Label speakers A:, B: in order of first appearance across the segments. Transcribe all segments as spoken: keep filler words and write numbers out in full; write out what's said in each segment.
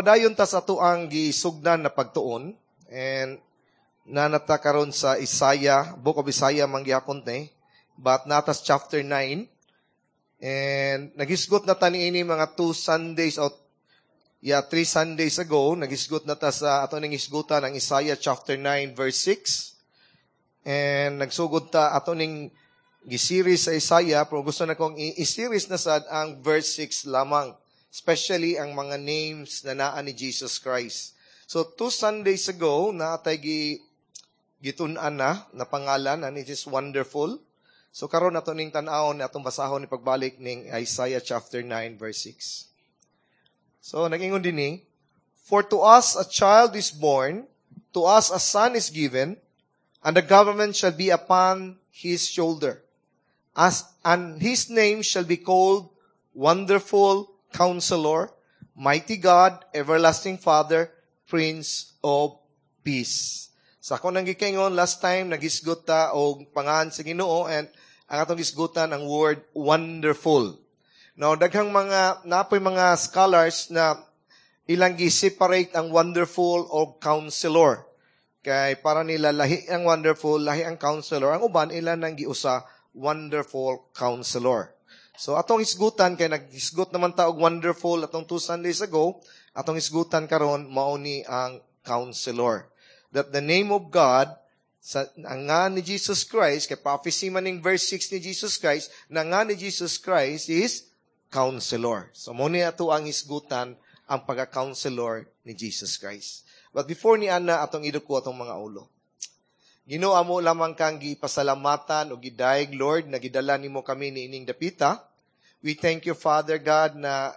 A: Padayon ta sa atoang gisugdan na pagtuon and naa na ta karon sa Isaiah, Book of Isaiah man gihapon te, but naa ta sa chapter nine and nagisgot na ta niini mga two Sundays o yeah, three Sundays ago, nagisgot na ta sa ato ning hisgutan ang Isaiah chapter nine verse six and nagsugod ta ato ning giseries sa Isaiah, pero gusto na kong i-series na sad ang verse six lamang, especially ang mga names na naa ni Jesus Christ. So, two Sundays ago, naa tay gi, gitun-an na, na pangalan, and it is wonderful. So, karon ato ning tan-awon, atong basahon ni pagbalik ning Isaiah chapter nine, verse six. So, nag-ingon dinhi, "For to us a child is born, to us a son is given, and the government shall be upon his shoulder. As, and his name shall be called Wonderful Counselor, Mighty God, Everlasting Father, Prince of Peace." Sa ako nang gikaingon last time, naghisgot ta og pangalan sa Ginoo and ang atong hisgutan ang word "wonderful." Now, daghang mga, naa poy mga scholars na ilang gi-separate ang "wonderful" o "counselor." Kay para nila lahi ang "wonderful", lahi ang "counselor". Ang uban, ilan nang giusa "Wonderful Counselor". So atong hisgutan kay naghisgot naman ta og "wonderful" atong two Sundays ago, atong hisgutan karon mao ni ang "counselor." That the name of God sa ang nga ni Jesus Christ, kay prophecy man ning verse six ni Jesus Christ, na nga ni Jesus Christ is "counselor." So mao ni ato ang hisgutan, ang pagka-counselor ni Jesus Christ. But before ni ana, atong iduko atong mga ulo. Ginoo, amo lamang kang gipasalamatan o gidayeg, Lord, na gidala nimo kami niining dapita. We thank you, Father God, na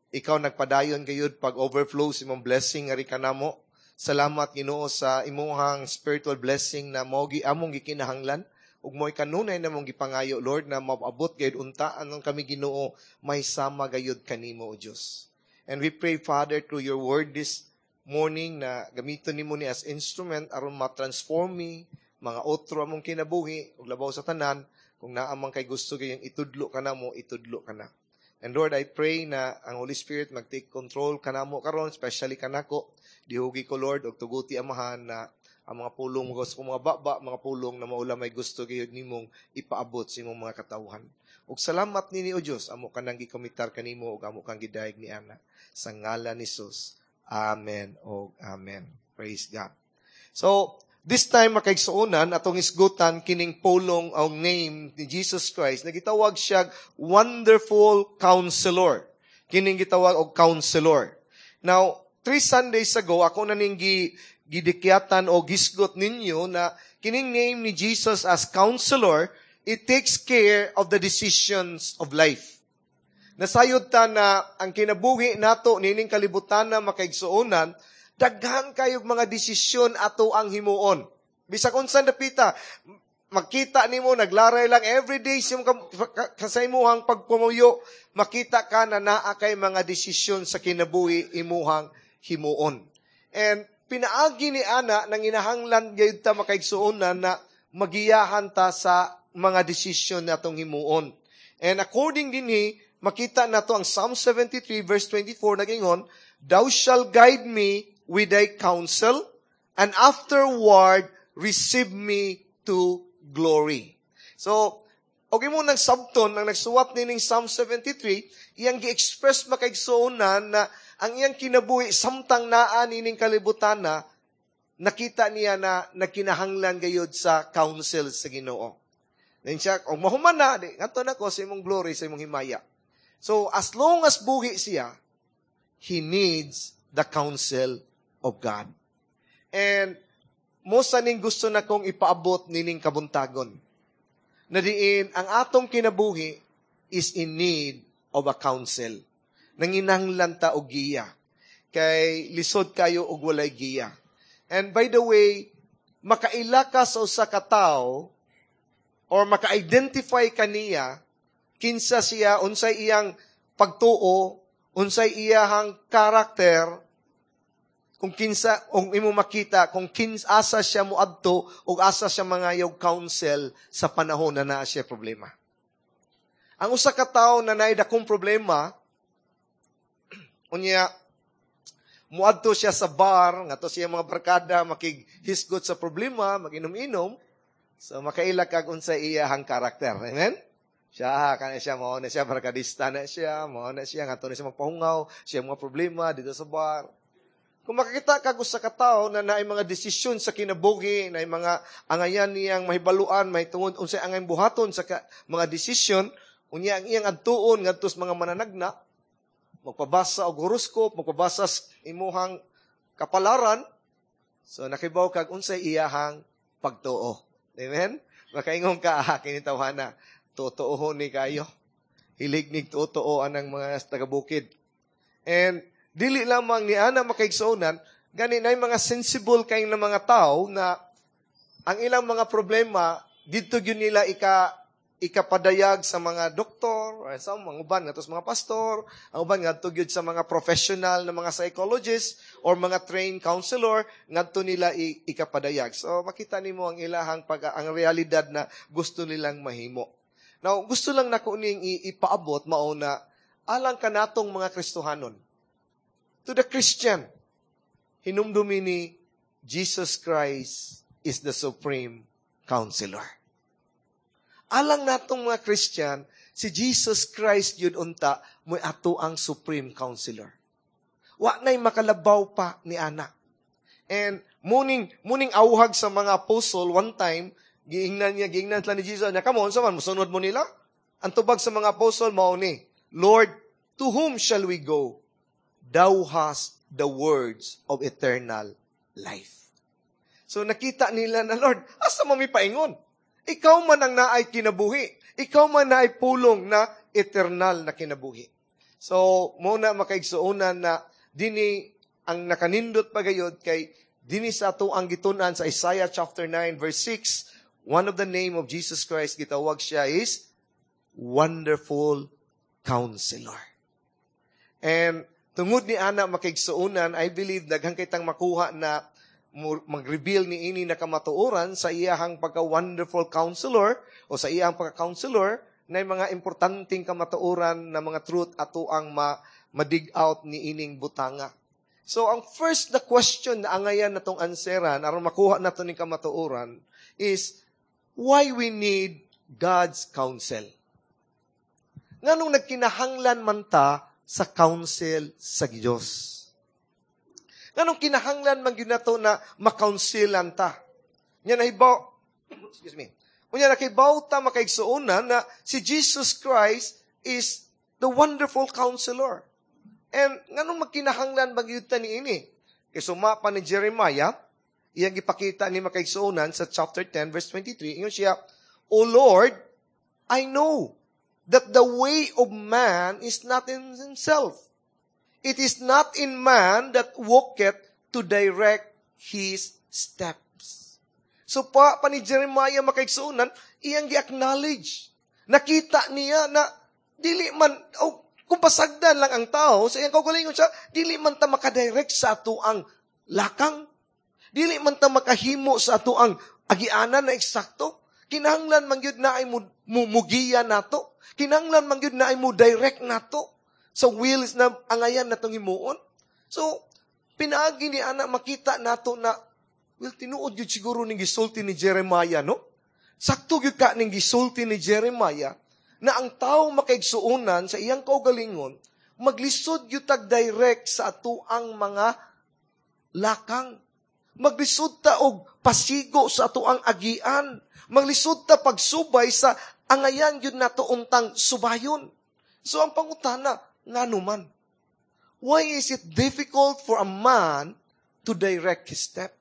A: ikaw nagpadayon gayud pag overflow sa imong blessing ngari kanamo. Salamat, Ginoo, sa imuhang spiritual blessing na mao gi among gikinahanglan ug mo'y kanunay namong gipangayo, Lord, na maabot gayud unta anong kami, Ginoo, may sama gayud kanimo, o Dios. And we pray, Father, through your word this morning na gamiton nimo ni as instrument aron ma-transform mi mga otro among kinabuhi ug labaw sa tanan, kung naa man kay gusto gayong itudlo kanamo, itudlo kana. And Lord, I pray na ang Holy Spirit mag-take control kanamo karon, especially kanako. Dihugi ko, Lord, og tuguti, Amahan, na ang mga pulong mo sa mga baba, mga pulong na mao may gusto gayud nimong ipaabot sa imong mga katawhan. Ug salamat nini, o Dios, amo kanang gikomitar kanimo ug amo kang gidayeg ni ana sa ngalan ni Jesus. Amen og amen. Praise God. So, this time, makaigsuonan, atong isgutan kining pulong ang name ni Jesus Christ na gitawag siya "Wonderful Counselor." Kining gitawag og "counselor." Now, three Sundays ago, ako na ning gi, gidikyatan o gisgot ninyo na kining name ni Jesus as "counselor", it takes care of the decisions of life. Nasayod ta na ang kinabuhi nato nining kalibutan na, makaigsuonan, daghan kayog mga desisyon ato ang himuon. Bisag unsa dapita, makita nimo naglaray lang everyday sa sa imuhang pagpumuyo, makita ka na naa kay mga desisyon sa kinabuhi imuhang himuon. And pinaagi ni ana nang inahanglan gayud ta, makaigsuonan, na magiyahan ta sa mga desisyon natong himuon. And according dinhi, makita nato ang Psalm seventy-three verse twenty-four, nagingon, "Thou shalt guide me with thy counsel, and afterward receive me to glory." So, og imo nang sabton ang nagsuwat nining Psalm seventy-three, iyang gi-express, makaigsuonan, na ang iyang kinabuhi samtang naa nining kalibutan na nakita niya na nagkinahanglan gayud sa counsel sa Ginoo. Then siya, kung mahuman na, di, ngadto na ko sa imong glory, sa imong himaya. So, as long as buhi siya, he needs the counsel of God. And mao sa ning gusto na kong ipaabot nining kabuntagon. Na diin, ang atong kinabuhi is in need of a counsel. Nanginahanglan ta og giya. Kay lisod kayo og walay giya. And by the way, makaila ka sa usa ka tawo or maka-identify kaniya kinsa siya, unsay iyang pagtuo, unsay iyahang karakter, kung kinsa kung imo makita kung kins asa siya moadto ug asa siya mangayog counsel sa panahon na naa siya problema. Ang usa ka tawo na naay dakong problema, unya muadto siya sa bar, ngadto siya mga barkada, makighisgot sa problema, maginom-inom, so makaila kag unsa iyahang karakter. Amen? Siya, kana siya, mao na siya, barkadista na siya, mao na siya, ngadto na siya magpahungaw, siya mga problema dito sa bar. Kung makakita kag usa ka tawo na naay mga desisyon sa kinabuhi, naay mga angayan niyang mahibaluan, may tungod unsay angay buhaton sa ka, mga desisyon, unya ang iyang adtuon ngadto sa mga mananagna, magpabasa og horoscope, magpabasa sa imuhang kapalaran, so nakibaw kag unsay iyahang pagtuo. Amen? Makaingon ka, ah, kini tawhana, totoo ni kayo. Hilig nig totoo anang mga taga-bukid. And dili lamang ni ana makaigsuonan, gani na mga sensible kay na mga tao na ang ilang mga problema didto gyud nila ika ikapadayag sa mga doktor, or sa mga uban ngadto sa mga pastor, ang uban ngadto gyud sa mga professional na mga psychologists or mga trained counselor ngadto nila i- ikapadayag. So makita nimo ang ilahang pag ang realidad na gusto nilang mahimo. Now, gusto lang nako ning ipaabot mao na alang kanatong mga Kristohanon. To the Christian, hinumdumi ni Jesus Christ is the supreme counselor. Alang natong mga Christian, si Jesus Christ yun unta mo'y ato ang supreme counselor. Wa na'y makalabaw pa ni ana. And muning muning awhag sa mga apostle one time, giingnan niya, giingnan sila ni Jesus, niya, come on, sa man, musunod mo nila? Ang tubag sa mga apostle, mao ni, Lord, to whom shall we go? Thou hast the words of eternal life. So nakita nila na, Lord, asa mo mi paingon? Ikaw man ang naay kinabuhi. Ikaw man naay pulong na eternal na kinabuhi. So, muna makaigsuonan na dini ang nakanindot pagayod kay dini sa ato ang gitun-an sa Isaiah chapter nine verse six, one of the name of Jesus Christ gitawag siya is Wonderful Counselor. And tungod ni ana makaigsuonan, I believe daghang kitang makuha na mag-reveal ni ini na kamatuoran sa iyahang pagka-wonderful counselor o sa iyahang pagka-counselor na mga importanteng kamatuoran na mga truth ato ang ma- ma-dig out ni ining butanga. So, ang first na question na angayan na tong anseran, aron makuha na to ning kamatuoran, is why we need God's counsel. Nganong nagkinahanglan man ta sa counsel sa Dios? Nganong kinahanglan man gyud nato na makounselan ta? Nya nahibaw, excuse me. Unya nakibaw ta makaigsuonan na si Jesus Christ is the wonderful counselor. And nganong magkinahanglan man gyud ta niini? Kay suma pa ni Jeremiah, iyang gipakita ni makaigsuonan sa chapter ten verse twenty-three, ingon siya, O Lord, I know that the way of man is not in himself. It is not in man that walketh to direct his steps. So pa, pa ni Jeremiah makaigsuonan, iyang gi-acknowledge. Nakita niya na dili man, oh, kung pasagdan lang ang tao, sa iyang kaugalingon siya, dili man ta makadirect sa ato ang lakang. Dili man ta makahimo sa ato ang agianan na eksakto. Kinahanglan man gyud na ay mugiya nato. Kinahanglan man gyud na ay mo direct nato sa wills na angayan natong himuon. So, pinaagi ni ana makita nato na, well, tinuod gyud siguro ning gisulti ni Jeremiah, no? Sakto gyud ka ning gisulti ni Jeremiah na ang tao makaigsuonan sa iyang kaugalingon, maglisod gyud tag direct sa atoang mga lakang. Maglisod ta og pasigo sa atoang agian. Maglisod ta pagsubay sa angayan gyud nato untang subayon. So ang pangutana, ngano man? Why is it difficult for a man to direct his step?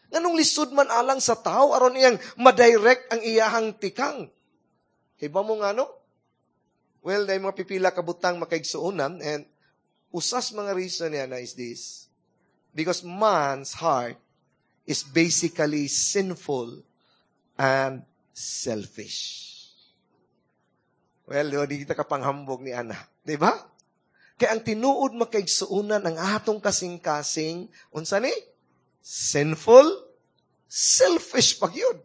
A: Nganong lisod man alang sa tao aron iyang madirect ang iyahang tikang? Kay ba mo ngano? Well, dahil mga pipila kabutang makaigsuonan, and usas mga reason niya na is this. Because man's heart is basically sinful and selfish. Well, di kita kapanghambog ni Ana. Di ba? Kaya ang tinuod makaigsuonan ang atong kasing-kasing, unsa ni? Sinful, selfish pag yun.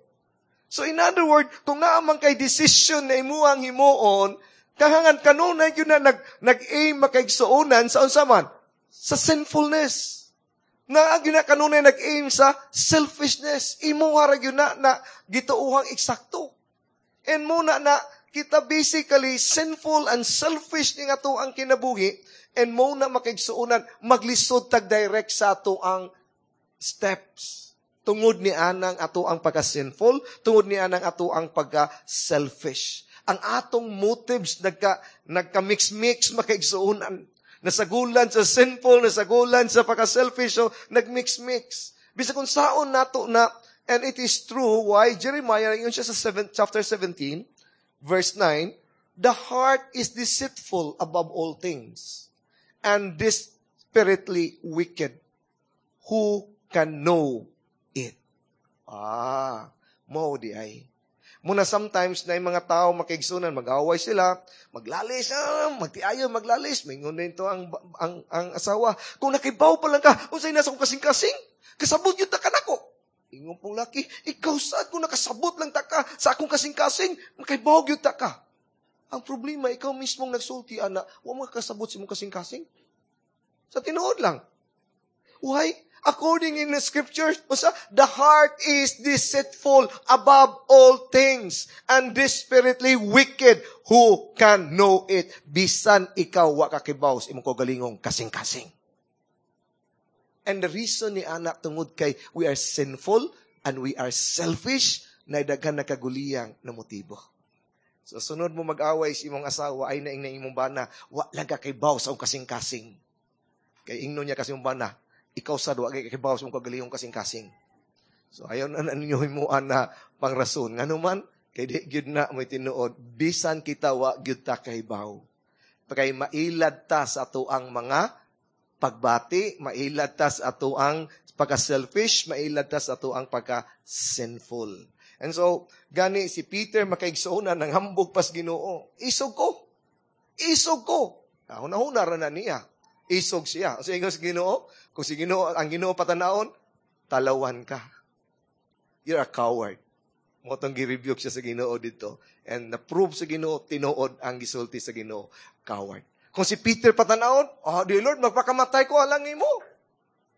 A: So in other words, kung naa man kay decision na imuhang himuon, kahangan kanunay yun na nag, nag-aim makaigsuonan sa unsa man? Sa sinfulness. Na ang ginakanunay nag-aim sa selfishness. Imo ra gyud na na gituohang eksakto. And muna na kita basically sinful and selfish ni ato ang kinabuhi and mo na makaigsuonan maglisod tag direct sa ato ang steps. Tungod ni anang ato ang pagka-sinful, tungod ni anang ato ang pagka-selfish. Ang atong motives nagka nagka-mix-mix makaigsuonan. Nasagulan sa sinful, nasagulan sa pagka-selfish, so nag-mix-mix. Bisag kung saon nato na, and it is true, why? Jeremiah, yun siya sa seven, chapter seventeen, verse nine, "The heart is deceitful above all things, and desperately wicked. Who can know it?" Ah, mo di ay. Muna sometimes na yung mga tao makigsunan, mag-away sila, maglalis, ah, magtiayo, maglalis. May ngunit ito ang, ang, ang asawa. "Kung nakibaw pa lang ka, unsay nasa kong kasing-kasing, kasabot yun ta ka nako." Ingon pong laki, "Ikaw sad, kung nakasabot lang ta ka sa akong kasing-kasing, makibaw yun ta ka." Ang problema, ikaw mismong nagsulti, ana, wa mo kasabot sa imong kasing-kasing. Sa tinuod lang. Why? According in the scriptures, the heart is deceitful above all things and desperately wicked. Who can know it? Bisan ikaw wa kakibaw sa imong kaugalingong kasing-kasing. And the reason ni anak tungod kay we are sinful and we are selfish na daghan nakaguliyang na motibo. So sunod mo mag-away sa imong asawa ay naing na imong bana, "Wa lang ka kibaw sa imong kasing-kasing." Kay ingnon niya kasi imong bana, "Ikaw sad wa kay kibaw sa imong kaugalingong kasing-kasing." So ayaw na ninyo himuan na pangrason. Ngano man kay di gyud na may tinuod, bisan kita wa gyud ta kahibaw. Kay mailad ta sa ato ang mga pagbati, mailad ta sa ato ang pagka-selfish, mailad ta sa ato ang pagka-sinful. And so, gani si Peter makaigsuonan ng hambog pas Ginoo. "Isog ko. Isog ko." Nahuna-huna ra na niya. Isog siya. So, ingon sa Ginoo, kung si Ginoo, ang Ginoo patanawon, "Talawan ka. You're a coward." Mo tong gi-rebuke siya sa Ginoo dito. And na-prove sa Ginoo, tinuod ang gisulti sa Ginoo, coward. Kung si Peter patanawon, "Oh, di Lord, magpakamatay ko alang nimo."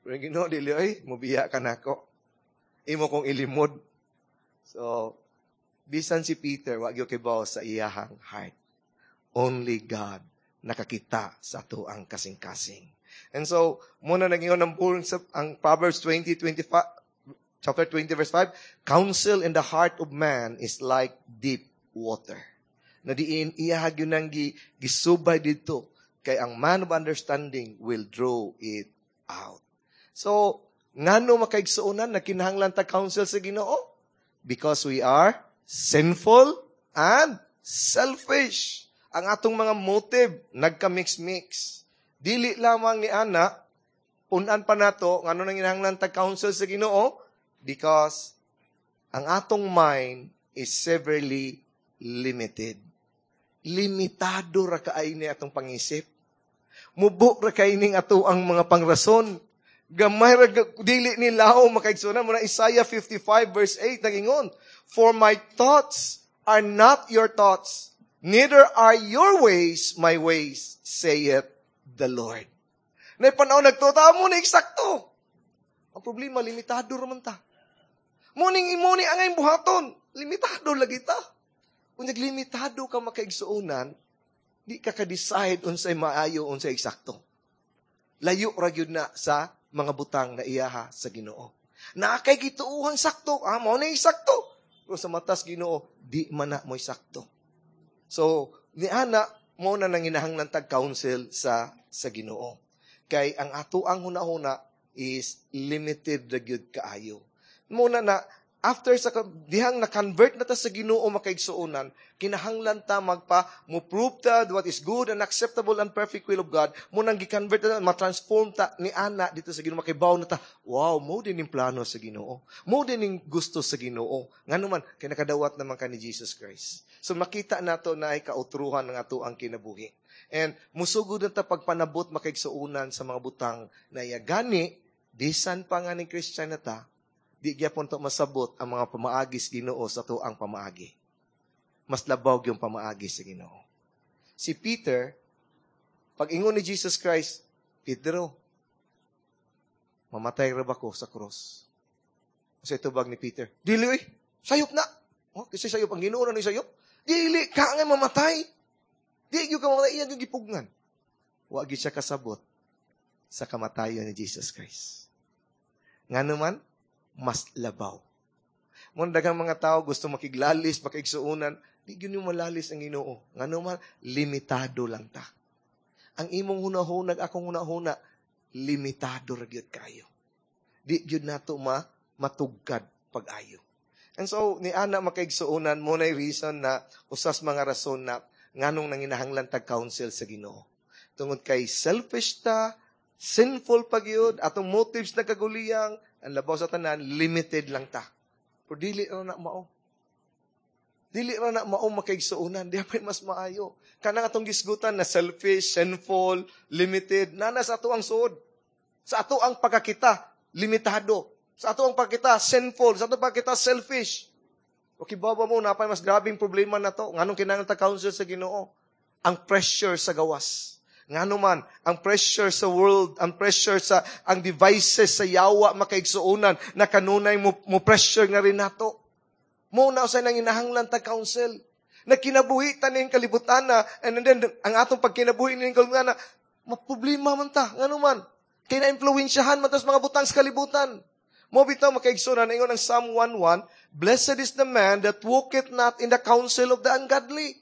A: Pero ang Ginoo, dili, "Ay, mubiya ka nako. Imo kong ilimod." So, bisan si Peter, wa gyud kibaw sa iyahang heart. Only God nakakita sa ato ang kasing-kasing. And so, muna nag-ingon ng bull sa ang Proverbs twenty, twenty-five, chapter twenty, verse five, "Counsel in the heart of man is like deep water." Na diin, iyahag yun ang gi, gisubay dito, kay ang man of understanding will draw it out. So, ngano makaigsuonan na kinahanglan ta counsel sa Ginoo? Because we are sinful and selfish. Ang atong mga motive, nagka-mix-mix. Dili lamang ni ana, punan pa nato, ngano nang kinahanglan ta counsel sa Ginoo? Because ang atong mind is severely limited. Limitado ra kaay ni atong pangisip. Mubo ra kay ning ato ang mga pangrason. Gamay ra dili ni lao makaigsuonan mo na Isaiah fifty-five verse eight nagingon, "For my thoughts are not your thoughts, neither are your ways my ways, saith the Lord." Naipanaw nagtuta mo na eksakto. Ang problema, limitado raman ta. Muning imuni ang iyong buhaton, limitado lagi ta. Kung naglimitado ka makaigsuonan, di ka ka-decide unsay maayo, unsay eksakto. Layo ra gyud na sa mga butang na iyaha sa Ginoo. Na kay gituohang sakto, ah, mo na sakto. Pero sa matas Ginoo, di man na mo'y sakto. So, ni ana mo na nanginahanglan tag counsel sa sa Ginoo. Kay ang ato ang hunahuna is limited ra gyud kaayo. Muna na after sa dihang na-convert na ta sa Ginoo makaigsuonan, kinahanglan ta magpa mo prove ta what is good and acceptable and perfect will of God. Mo nang gi-convert ta, ma-transform ta ni ana dito sa Ginoo, makibaw na ta, wow, mo din ning plano sa Ginoo. Mo din ning gusto sa Ginoo. Ngano man kay nakadawat naman ka ni Jesus Christ. So makita nato na ay kautruhan ng ato ang kinabuhi. And musugod na ta pagpanabot makaigsuonan sa mga butang na iya. Gani, bisan pa nga ning Christian na ta, di gyapon to masabot ang mga pamaagi sa Ginoo sa to ang pamaagi. Mas labaw yung pamaagi sa Ginoo. Si Peter, pag ingon ni Jesus Christ, "Pedro, Mamatay ra ba ko sa cross? Sa tubag ni Peter, dili oy, sayop na. Oh, kasi sayop ang Ginoo na ni sayop. Dili ka nga mamatay. Di gyud ka mamatay, iya gyud gipugnan. Wa gyud siya kasabot sa kamatayon ni Jesus Christ. Ngano man, mas labaw. Mo daghang mga tao gusto makiglalis, makigsuonan, di gyud nimo malalis ang Ginoo. Ngano man, limitado lang ta. Ang imong hunahuna, akong hunahuna, limitado ra gyud kayo. Di gyud nato ma matugkad pag-ayo. And so, ni ana makaigsuonan mo na reason na usas mga rason na nganong nanginahanglan tag counsel sa Ginoo. Tungod kay selfish ta, sinful pa gyud, atong motives nagkaguliyang, ang labaw sa tanan, limited lang ta. Pero dili ra na mao. Dili ra na mao makaigsuonan, di pa mas maayo. Kanang atong gisgutan na selfish, sinful, limited, nana sa ato ang suod. Sa ato ang pagkakita, limitado. Sa ato ang pagkita, sinful. Sa ato pagkita, selfish. Okay, baba mo, napay mas grabing problema na to. Nganong kinahanglan ta counsel sa Ginoo? Ang pressure sa gawas. Ngano man, ang pressure sa world, ang pressure sa, ang devices sa yawa makaigsuonan, na kanunay mo, mo pressure nga rin nato. Mo na usay nang inahanglan ta counsel. Na kinabuhi ta ning kalibutan na, and then, ang atong pagkinabuhi ning kalibutan na, maproblema man ta. Ngano man? Kay na-influensyahan man ta sa mga butang sa kalibutan. Mo bitaw makaigsuonan ingon ang Psalm one one, blessed is the man that walketh not in the counsel of the ungodly.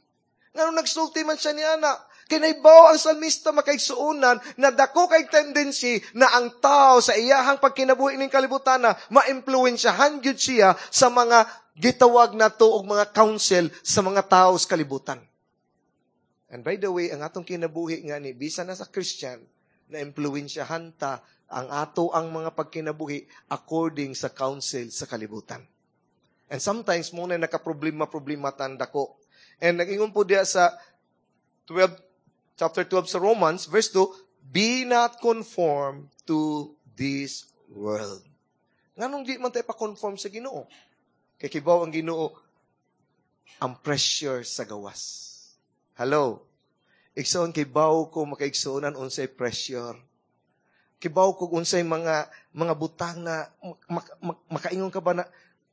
A: Ngano nagsulti man siya ni ana? Kay naibaw ang salmista makaigsuonan na dako kay tendency na ang tao sa iyahang pagkinabuhi ning kalibutan na maimpluwensyahan gyud siya sa mga gitawag nato og mga counsel sa mga tao sa kalibutan. And by the way, ang atong kinabuhi nga ni bisan na sa Christian, na impluwensyahan ta ang ato ang mga pagkinabuhi according sa counsel sa kalibutan. And sometimes mo na nakaproblema-problema tan dako. And nag-ingon po diya sa twelve, chapter twelve sa Romans, verse two, be not conformed to this world. Nganong di man tayo pa-conform sa Ginoo? Kay kibaw ang Ginoo, ang pressure sa gawas. Hello? Igsoon, kibaw ko makaigsuonan unsay pressure. Kibaw ko unsay mga, mga butang na mak-, mak-, makaingon ka ba na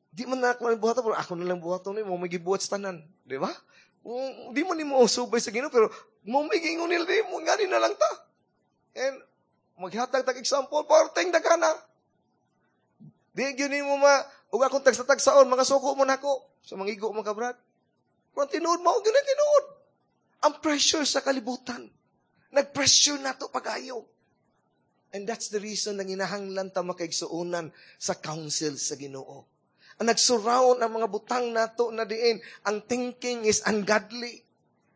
A: di man na ako buhaton, pero ako na lang buhaton ni mo may gibuhat sa tanan, di ba? Kung di mo nimo subay sa Ginoo, pero mo may giingon nila, di mo ngani na lang ta. And maghatag tag example, porting dagana. Di gyud nimo ma ug akong tagsa-tagsaon, mga suko mo nako sa mangigo mo ka brad. Kung tinuod mao gyud na tinuod. Ang pressure sa kalibutan. Nag-pressure nato pag-ayo. And that's the reason nang inahanglan ta makaigsuonan sa counsel sa Ginoo. Ang nagsurround ang mga butang nato na diin, ang thinking is ungodly.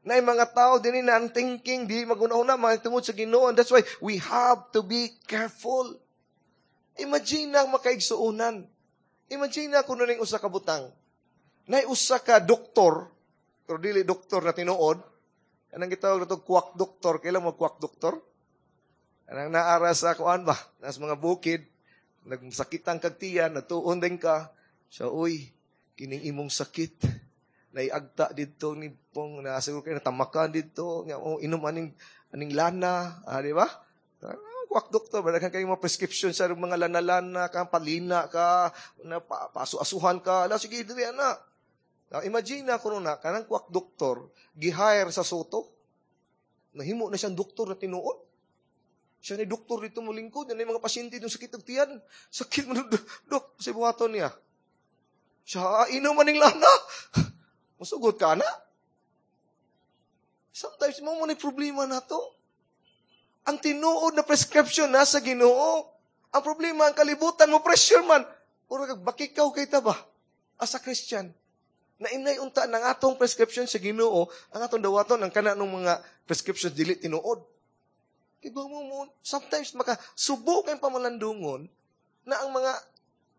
A: Na yung mga tao din na ang thinking, di maguna-una, mga tungod sa Ginoo. And that's why we have to be careful. Imagine na ang makaigsuonan. Imagine na kung ning usa ka butang. Nay usa ka doktor, pero dili doktor na tinuod, anang gitawag nato quack doktor, kailan mo quack doktor? Anang naara sa kuan ba? Nas mga bukid, nagsakitan kag tiyan, natuon din ka. Siya, uy, kining imong sakit. Naiagta didto ni pong na siguro kay natamakan didto, nga oh, inom aning aning lana, ah, di ba? Ah, quack doktor, ba daghan kay mga prescription sa mga lana-lana ka, palina ka, na pa, pasu-asuhan ka, ala sige diri ana. Now, imagine na kuno na kanang quack doktor gi-hire sa Soto. Nahimo na siyang doktor na tinuod. Siya ni doktor dito mo lingkod, yan mga pasyente dong sakit og tiyan. Sakit mo dok, sa buhaton niya. Siya, inom maning lana. Musugot ka na. Sometimes, mo mo na problema na to. Ang tinuod na prescription nasa Ginoo. Ang problema, ang kalibutan mo, pressure man. Puro kag bakikaw kay ta ba? As a Christian. Na inay unta ng atong prescription sa Ginoo, ang atong dawaton, ang kana ng mga prescriptions dili tinuod. Kaya mo mo, sometimes makasubo kayong pamalandungon na ang mga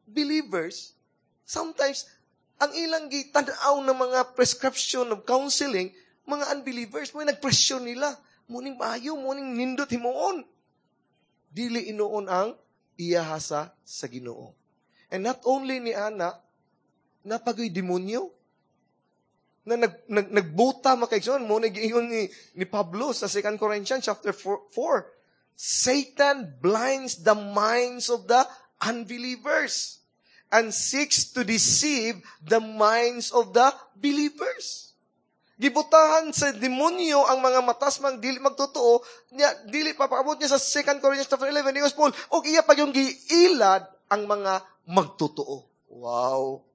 A: believers, sometimes, ang ilang gitanaw ng mga prescription of counseling, mga unbelievers, mo nag-pressure nila. Muning maayo, muning nindot himuon. Dili inuon ang iyahasa sa Ginoo. And not only ni Ana, napagoy demonyo na nag, nag, nagbuta makaigsoon mo nag-iingon ni, ni Pablo sa Second Corinthians chapter four, four. Satan blinds the minds of the unbelievers and seeks to deceive the minds of the believers. Gibutahan sa demonyo ang mga matas mang dili magtotoo, niya dili pa paabot niya sa Second Corinthians chapter eleven ni Paul, og iya pa yung giilad ang mga magtotoo. Wow.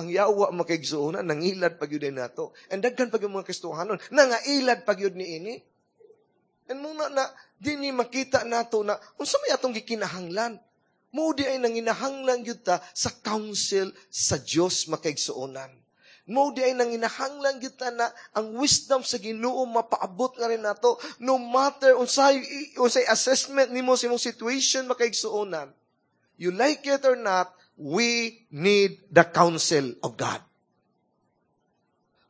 A: Ang yawa, makaigsuonan, nangilad pa gyud nato. And daghan pa gyud mga Kristohanon nangailad pa gyud niini. And muna na dinhi makita nato na unsa may atong gikinahanglan. Mao di ay nanginahanglan gyud ta sa counsel sa Dios, makaigsuonan. Mao di ay nanginahanglan gyud ta na ang wisdom sa Ginoo mapaabot nga rin nato, no matter unsay unsay assessment nimo sa imong situation, makaigsuonan. You like it or not, we need the counsel of God.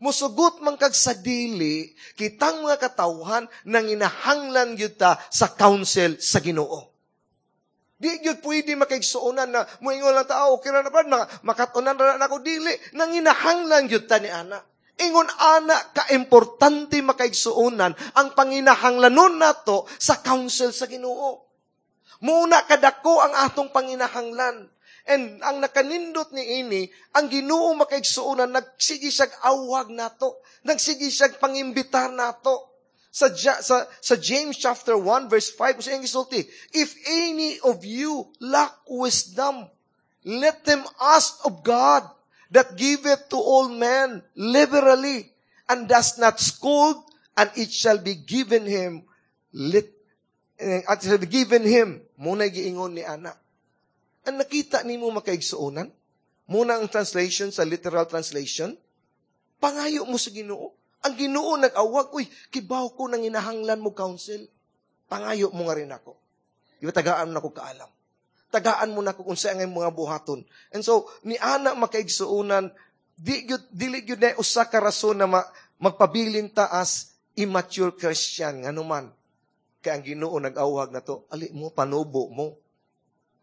A: Musugot man kag sa dili, kitang mga katawhan nanginahanglan gyud ta sa counsel sa Ginoo. Di gyud pwede, makaigsuonan, na muingon lang ta, "Oh, okay ra na, brad, makatunan ra nako." Dili, nanginahanglan gyud ta ni ana. Ingon ana ka-importante, makaigsuonan, ang panginahanglanon nato sa counsel sa Ginoo. Muna kadako ang atong panginahanglan. And ang nakanindot ni ini, ang Ginoo, makaigsuonan, nagsige siyag awag nato. Nagsige siyag pangimbitar nato. Sa, sa, sa James chapter one verse five, sa iyang gisulti, "If any of you lack wisdom, let them ask of God that giveth to all men liberally and does not scold, and it shall be given him." Let, eh, at shall be given him. Muna giingon ni ana. Ang nakita nimo, makaigsuonan, muna ang translation sa literal translation, pangayo mo sa Ginoo. Ang Ginoo nag-awag, "Uy, kibaw ko nang inahanglan mo counsel. Pangayo mo nga rin ako. Di ba tagaan mo na ko kaalam? Tagaan mo na ko kung saan ang mga buhaton." And so, ni ana, makaigsuonan, di gyud dili gyud na usa ka rason na ma, magpabilin ta as immature Christian, ngano man. Kay ang Ginoo nag-awag na to, ali mo, panubo mo.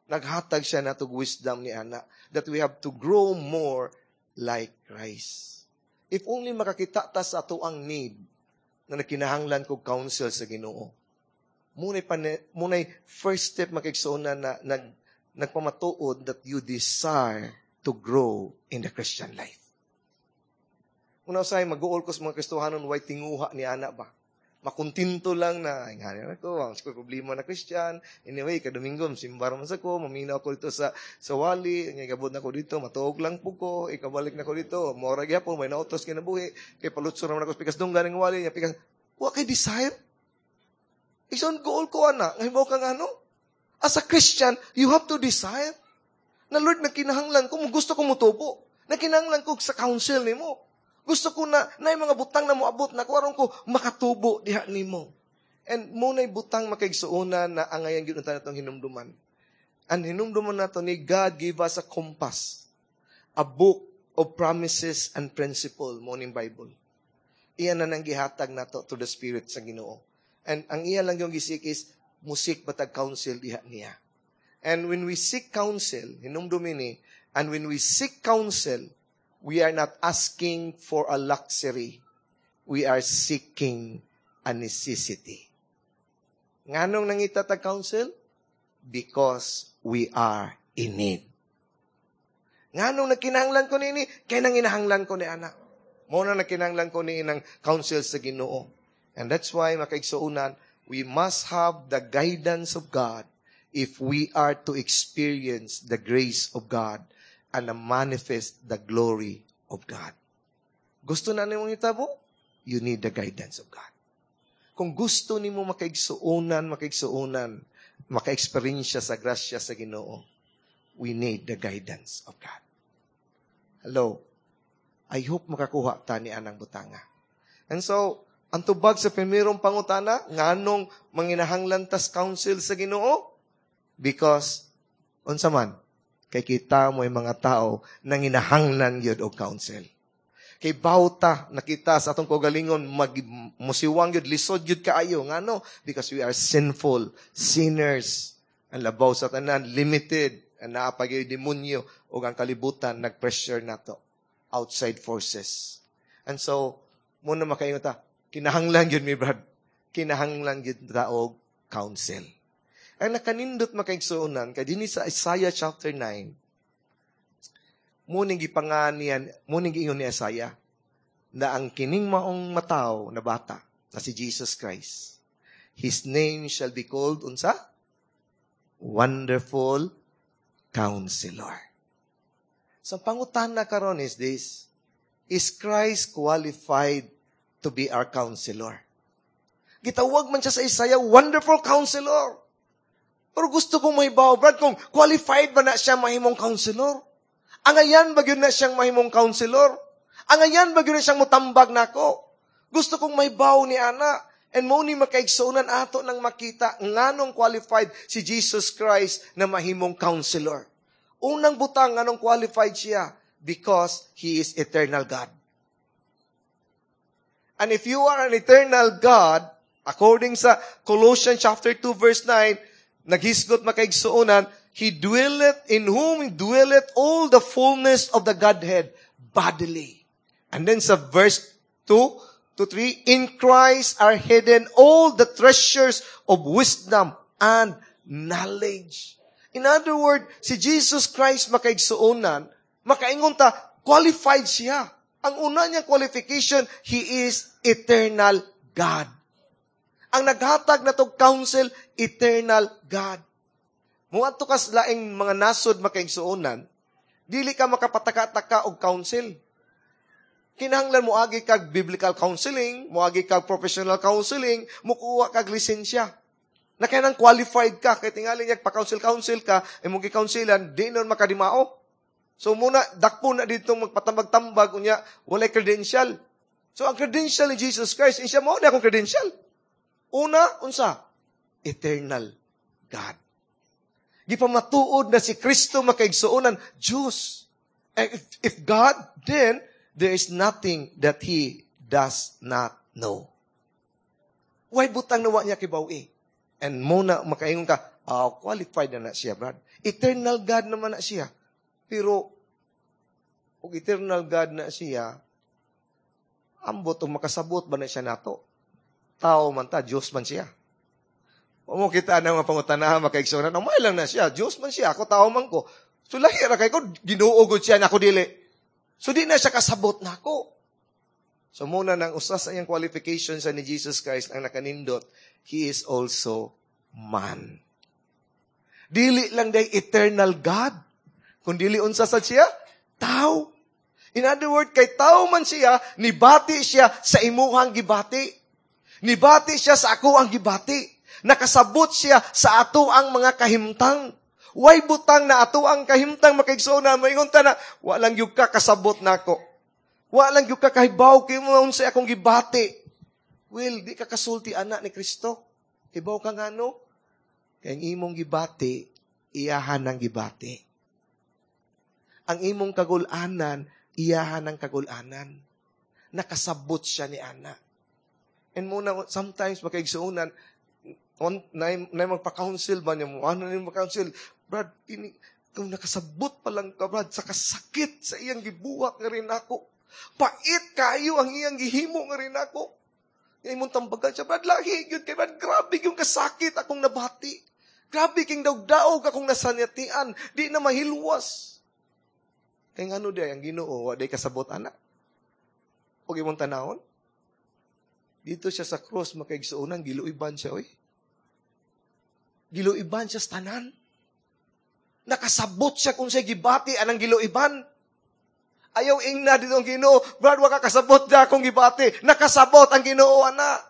A: Naghatag siya nato wisdom ni ana that we have to grow more like Christ. If only makakita ta sa ato ang need na nakinahanglan kog counsel sa Ginoo. Muna'y, pane, muna'y first step, makaigsuonan, na nag, nagpamatuod that you desire to grow in the Christian life. Una usay mag-uol ko sa mga Kristohanon, way tinguha ni ana ba? Makuntinto lang na, ay nga ko, ang ko problema na Christian. Anyway, kadomingo, simba man sa ko, maminaw ko dito sa, sa wali, nga gabot na ko dito, matuog lang po ko, ikabalik na ko dito, mora gyapon, may nautos kinabuhi, kay palutso naman ako sa pikas dunggan ng wali, nga pikas, wa kay desire. Ison goal ko ana, ngayon kang ano? As a Christian, you have to desire. Na Lord, nagkinahanglan ko, gusto ko mutubo. Nagkinahanglan ko sa counsel nimo. Gusto ko na, na mga butang na moabot na ko, aron ko makatubo diha nimo. And muna'y butang, makaigsuonan, na angayan gyud unta natong hinumduman. Ang hinumduman nato ni God gave us a compass, a book of promises and principle, mo ning Bible. Iyan na nang gihatag nato to the Spirit sa Ginoo. And ang iya lang yung gi-seek is mu-seek batag counsel diha niya. And when we seek counsel, hinumdumi ni, and when we seek counsel, we are not asking for a luxury. We are seeking a necessity. Nganong nangita tag counsel? Because we are in need. Nganong nagkinahanglan ko nini? Kay nanginahanglan ko ni ana. Mo na nagkinahanglan ko ni inang counsel sa Ginoo. And that's why, makaigsuonan, we must have the guidance of God if we are to experience the grace of God and manifest the glory of God. Gusto na nimong hitabo? You need the guidance of God. Kung gusto nimo, makaigsuonan, makaigsuonan, maka-experience sa grasya sa Ginoo, we need the guidance of God. Hello? I hope makakuha ta ni anang butanga. And so, ang tubag sa primerong pangutana, nganong manginahanglan tas counsel sa Ginoo? Because, unsa man, kay kita mo yung mga tao nanginahanglan gyud og counsel. Kay bawta nakita sa atong kaugalingon mag musiwang gyud, lisod gyud kaayo. Ngano? Because we are sinful sinners. Ang labaw sa tanan, limited. Ang naa pa gyud demonyo ug ang kalibutan nag-pressure nato, outside forces. And so muna makaingon ta, kinahanglan gyud mi, brad, kinahanglan gyud ta og counsel. Ang nakanindot makaigsuonan, kay dinhi sa Isaiah chapter nine, mao ning gipanganian, mao ning giingon ni Isaiah, na ang kining maong mataw na bata, na si Jesus Christ, His name shall be called, unsa? Wonderful Counselor. So, pangutana karon is this, is Christ qualified to be our counselor? Gitawag man siya sa Isaiah, Wonderful Counselor. Pero gusto kong mahibaw, Brad, kung qualified ba na siya mahimong counselor? Angayan ba gyud na siyang mahimong counselor? Angayan ba gyud na siyang mutambag nako? Gusto kong mahibaw ni ana. And mao ni makaigsuonan ato nang makita nganong qualified si Jesus Christ na mahimong counselor. Unang butang nganong qualified siya because He is eternal God. And if you are an eternal God, according sa Colossians chapter two verse nine, naghisgot makaigsuonan, He dwelleth, in whom dwelleth all the fullness of the Godhead bodily. And then sa verse two to three, in Christ are hidden all the treasures of wisdom and knowledge. In other words, si Jesus Christ makaigsuonan, makaingon ta, qualified siya. Ang una niyang qualification, He is eternal God. Ang naghatag na tog counsel, eternal God. Muadto kas laing mga nasod makaigsuonan, dili ka makapataka-taka og counsel. Kinahanglan mo agi kag biblical counseling, moagi kag professional counseling, mukuha kag lisensya. Na kaya qualified ka, kay tingali niya pa-counsel-counsel ka, imong gi-counselan, di nun makadimao. So muna, dakpo na dito magpatambag-tambag, unya, walay credential. So ang credential ni Jesus Christ, siya mao na akong credential. Una, unsa? Eternal God. Gipamatuod na si Kristo makaigsuonan, Diyos. And if, if God, then, there is nothing that He does not know. Why butang nawa niya kibaw-i? And muna makaingon ka, oh, qualified na na siya, Brad. Eternal God naman na siya. Pero, kung eternal God na siya, ambot o makasabot ba na siya nato? Tao man ta, Diyos man siya. Mo kita na mga pangutanahan, makaigsuonan, oh, may lang na siya, Diyos man siya, ako tao man ko. So lahi ra kay ko, Ginoo gud siya, ako dili. So di na siya kasabot nako. So muna nang usa sa iyang qualifications sa ni Jesus Christ ang nakanindot, He is also man. Dili lang day eternal God. Kung dili unsa sa siya, tao. In other words, kay tao man siya, nibati siya sa imuhang gibati. Nibati siya sa ako ang gibati. Nakasabot siya sa ato ang mga kahimtang. Way butang na ato ang kahimtang makaigsoon na maingon ta na walang gyud ka kasabot nako. Walang gyud ka kahibaw kay mo unsay akong gibati. Well, di ka kasulti ana ni Kristo. Hibaw ka ngano? Kay ang imong gibati, iyahan ang gibati. Ang imong kagulanan, iyahan ang kagulanan. Nakasabot siya ni ana. And muna, sometimes makaigsuonan, on, na, na magpa-counsel ba niya mo? Ano na yung mag-counsel? Brad, ini, kung nakasabot pa lang ka, Brad, sa kasakit sa iyang gibuhat nga rin ako. Pait kayo ang iyang gihimo nga rin ako. Nga imong tambagan siya, Brad, lahi, yun kay Brad, grabe yung kasakit akong nabati. Grabe king daog-daog akong nasanyatian, di na mahilwas. Kay ngano di ang Ginoo, wa day kasabot ana. Og imong tanawon. Dito siya sa cross makaigsuonan, giluiban siya oy. Giluiban siya sa tanan. Nakasabot siya kung siya gibati anang giluiban. Ayaw ingna dito ang Ginoo, Brad, wa ka kasabot da akong gibati. Nakasabot ang Ginoo ana.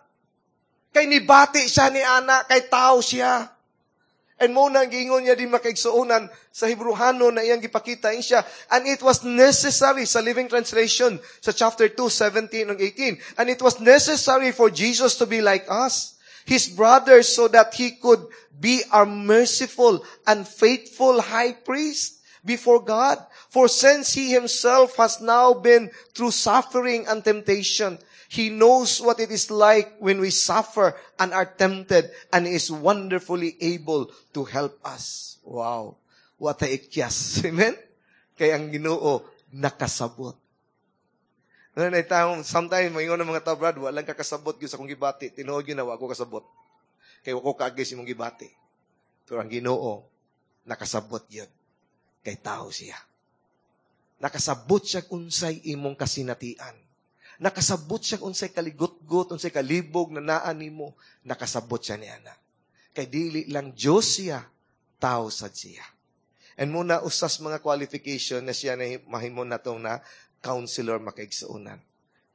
A: Kay nibati siya ni ana, kay tao siya. And mo na ang giingon niya din makaigsuonan sa Hebrew-hano na iyang gipakita siya. And it was necessary sa Living Translation sa chapter two, seventeen and eighteen. And it was necessary for Jesus to be like us, His brothers, so that He could be our merciful and faithful high priest before God. For since He Himself has now been through suffering and temptation, He knows what it is like when we suffer and are tempted, and is wonderfully able to help us. Wow. What a ikyas. Amen? Kaya ang Ginoo nakasabot. Ano na taong, sometimes, maingon ng mga tao, Brad, walang kakasabot yun sa akong gibati. Tinuod yun na, wa ko kasabot. Kay wa ko kaagi sa imong gibati. Pero ang Ginoo nakasabot yun. Kay tao siya. Nakasabot siya unsay imong kasinatian. Nakasabot siya unsay kaligutgot, unsay kalibog na naa nimo. Nakasabot siya niana. Kay dili lang Diyos siya, tao sad siya. And muna usas mga qualification na siya na mahimo natong na counselor makaigsuonan.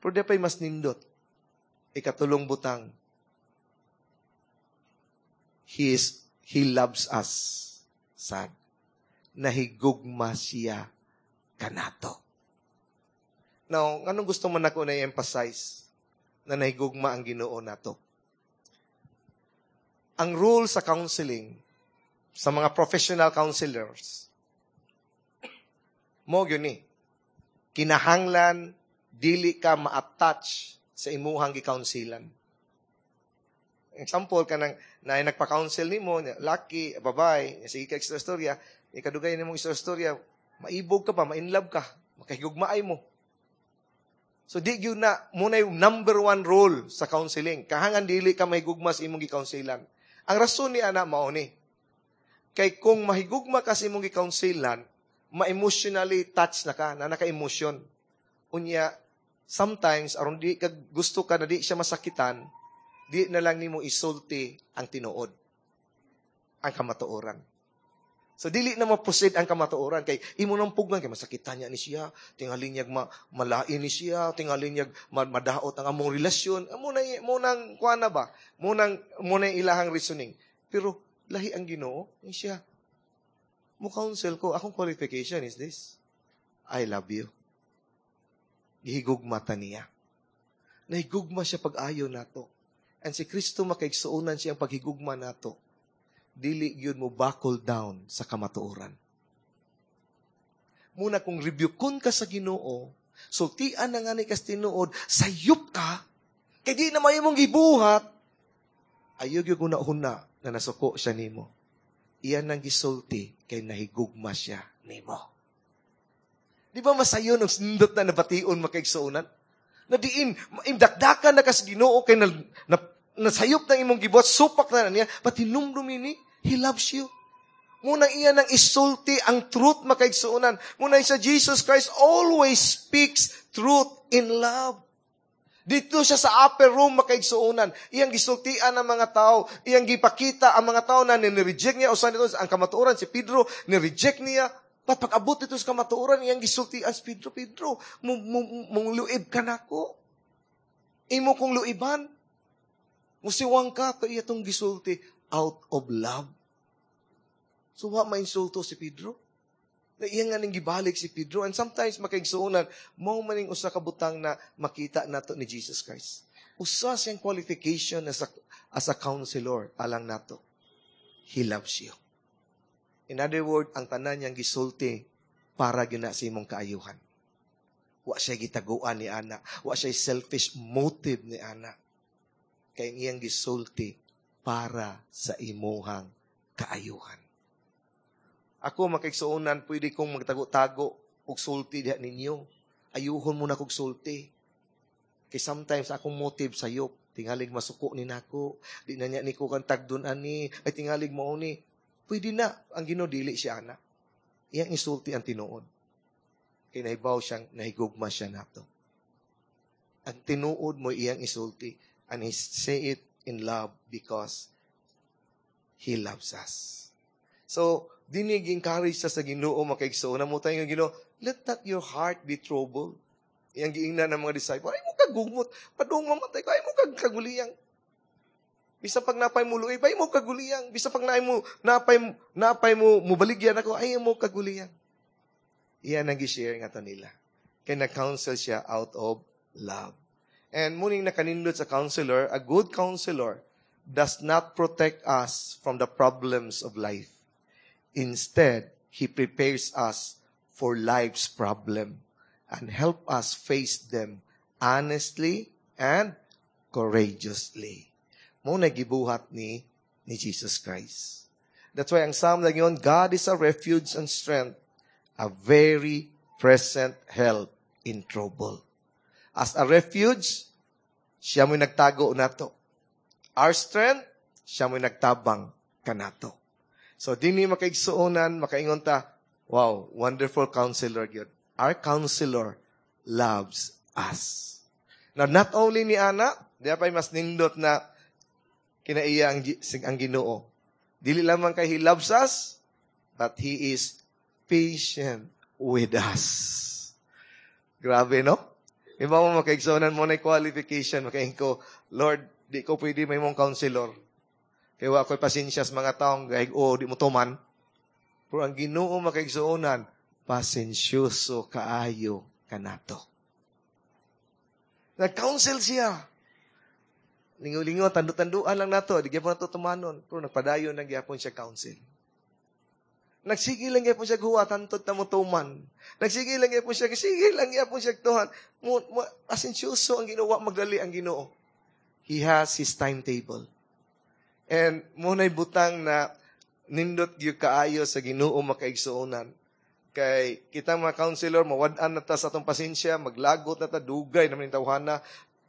A: Pero di pa'y mas nindot. Ikatulong butang. He is, he loves us. Sad. Nahigugma siya kanato. Now, anong gusto man ako na i-emphasize na nahigugma ang Ginoo nato? Ang rule sa counseling, sa mga professional counselors, mo yun ni, kinahanglan dili ka ma-attach sa imuhang gi-counselan. Example kanang na nagpa-counsel nimo, laki, babae, sige ka istorya, ikadugay nimong istorya, maibog ka pa, ma-inlove ka, makahigugmaay mo. So di gyud na muna yung number one rule sa counseling. Kahangan dili ka mahigugma sa imong gi-counselan. Ang rason ni ana mao ni. Kay kung mahigugma ka sa imong gi-counselan, ma-emotionally touch na ka, na naka-emotion. Unya, sometimes aron di ka gusto ka na di siya masakitan, di na lang nimo isulti ang tinuod. Ang kamatuoran. So dili na ma-proceed ang kamatuoran kay imo nang pugnan kay masakitan niya ni siya, tingali niya ma, malain ni siya, tingali niya ma, madaot ang among relasyon. Mo na mo nang kuan na ba? Mo nang mo na ilahang reasoning. Pero lahi ang Ginoo ni siya. Mo counsel ko, akong qualification is this. I love you. Gihigugma ta niya. Nahigugma siya pag-ayo nato. And si Kristo makaigsuonan siya ang paghigugma nato. Dili gyud mo buckle down sa kamatuoran. Muna kung rebuke ka sa Ginoo, sultian na nga ni kas tinuod, sayop ka, kay di na may imong gibuhat, ayaw gyud huna na nasuko siya nimo. Iyan nang gisulti kay nahigugma siya nimo. Di ba masayon ang sindot na nabation makaigsuonan? Na diin, imdakdakan na kas Ginoo kay na, na, nasayop na imong gibuhat, supak na, na niya, pati numdumi ni, He loves you. Muna iya nang isulti ang truth makaigsuonan. Muna sa Jesus Christ always speaks truth in love. Dito siya sa upper room makaigsuonan. Iyang gisultian ang mga tao. Iyang gipakita ang mga tao na nireject niya. Usa nito ang kamatuoran, si Pedro, nireject niya. But pag-abot dito sa kamatuoran, iyang gisultian si Pedro, Pedro, mong luib ka nako. Imo kong luiban. Musiwang ka, pero iya tong gisulti out of love. So, wa mainsulto si Pedro. Na iya nga ning gibalik si Pedro. And sometimes, makaigsuonan, mao maning usa ka butang na makita nato ni Jesus Christ. Usa siyang qualification as a, as a counselor, alang nato. He loves you. In other words, ang tanan niyang gisulti para gyud na sa imong kaayuhan. Wa siya gitaguan ni ana. Wa siya selfish motive ni ana. Kay iyang gisulti para sa imuhang kaayuhan. Ako makaigsuonan, pwede kong magtago-tago og sulti diha ninyo. Ayuhon mo na kog sulti. Kay sometimes akong motive sayop, tingalig masuko ni nako, di na niya ni ko kan tagdon ani, ay tingalig mo ni. Pwede na, ang Ginoo dili siya ana. Iyang isulti ang tinuod. Kay nahibaw siyang nahigugma siya nato. Ang tinuod mo iyang isulti and he say it in love because he loves us. So, dinig encourage siya sa Ginoo makaigsuon na mo tayo ng Ginoo, let not your heart be troubled. Iyang giingnan ng mga disciple, ay mo kagugmot, padung mamatay ko, ay mo kag kaguliyang. Bisa pag napay mo luib, ay mo kaguliyang. Bisa pag naay mo, napay, napay mo, mubaligyan ako, ay mo kaguliyang. Iyan ang gi-share nga to nila. Kaya nag-counsel siya out of love. And muning nakanindot sa counselor, a good counselor does not protect us from the problems of life. Instead, he prepares us for life's problem and help us face them honestly and courageously. Mo na gibuhat ni ni Jesus Christ. That's why ang Psalm na yun, God is a refuge and strength, a very present help in trouble. As a refuge, siya mo'y nagtago nato. Our strength, Siya mo'y nagtabang kanato. So, dinhi makaigsuonan, makaingon ta, wow, wonderful counselor gyud. Our counselor loves us. Now, not only ni ana, di pa mas nindot na kinaiya ang, ang Ginoo. Dili lamang kay He loves us, but He is patient with us. Grabe, no? Iba mo makaigsuonan mo na qualification, makaingon ko, Lord, di ko pwede mahimong counselor. Kaya wa ko'y pasensya sa mga taong gahig, oh, di mo tuman. Pero ang Ginoo makaigsuonan, pasensyoso kaayo kanato. Nag-counsel siya. Lingaw-lingaw, tandu-tanduan lang nato. Di gyapon nato tumanon. Pero nagpadayon lang gyapon siya counsel. Nagsige lang gyapon siya huwat, hantod ta mo tuman. Nagsige lang gyapon siya, sige lang gyapon siya tuhan. Mo, mo, pasensyoso ang Ginoo, magdali ang Ginoo. He has his timetable. And mao na'y butang na nindot gyud kaayo sa Ginoo makaigsuonan. Kay kita mga counselor, mawad-an na ta sa atong pasensya, maglagot na ta, dugay naman yung tawhana,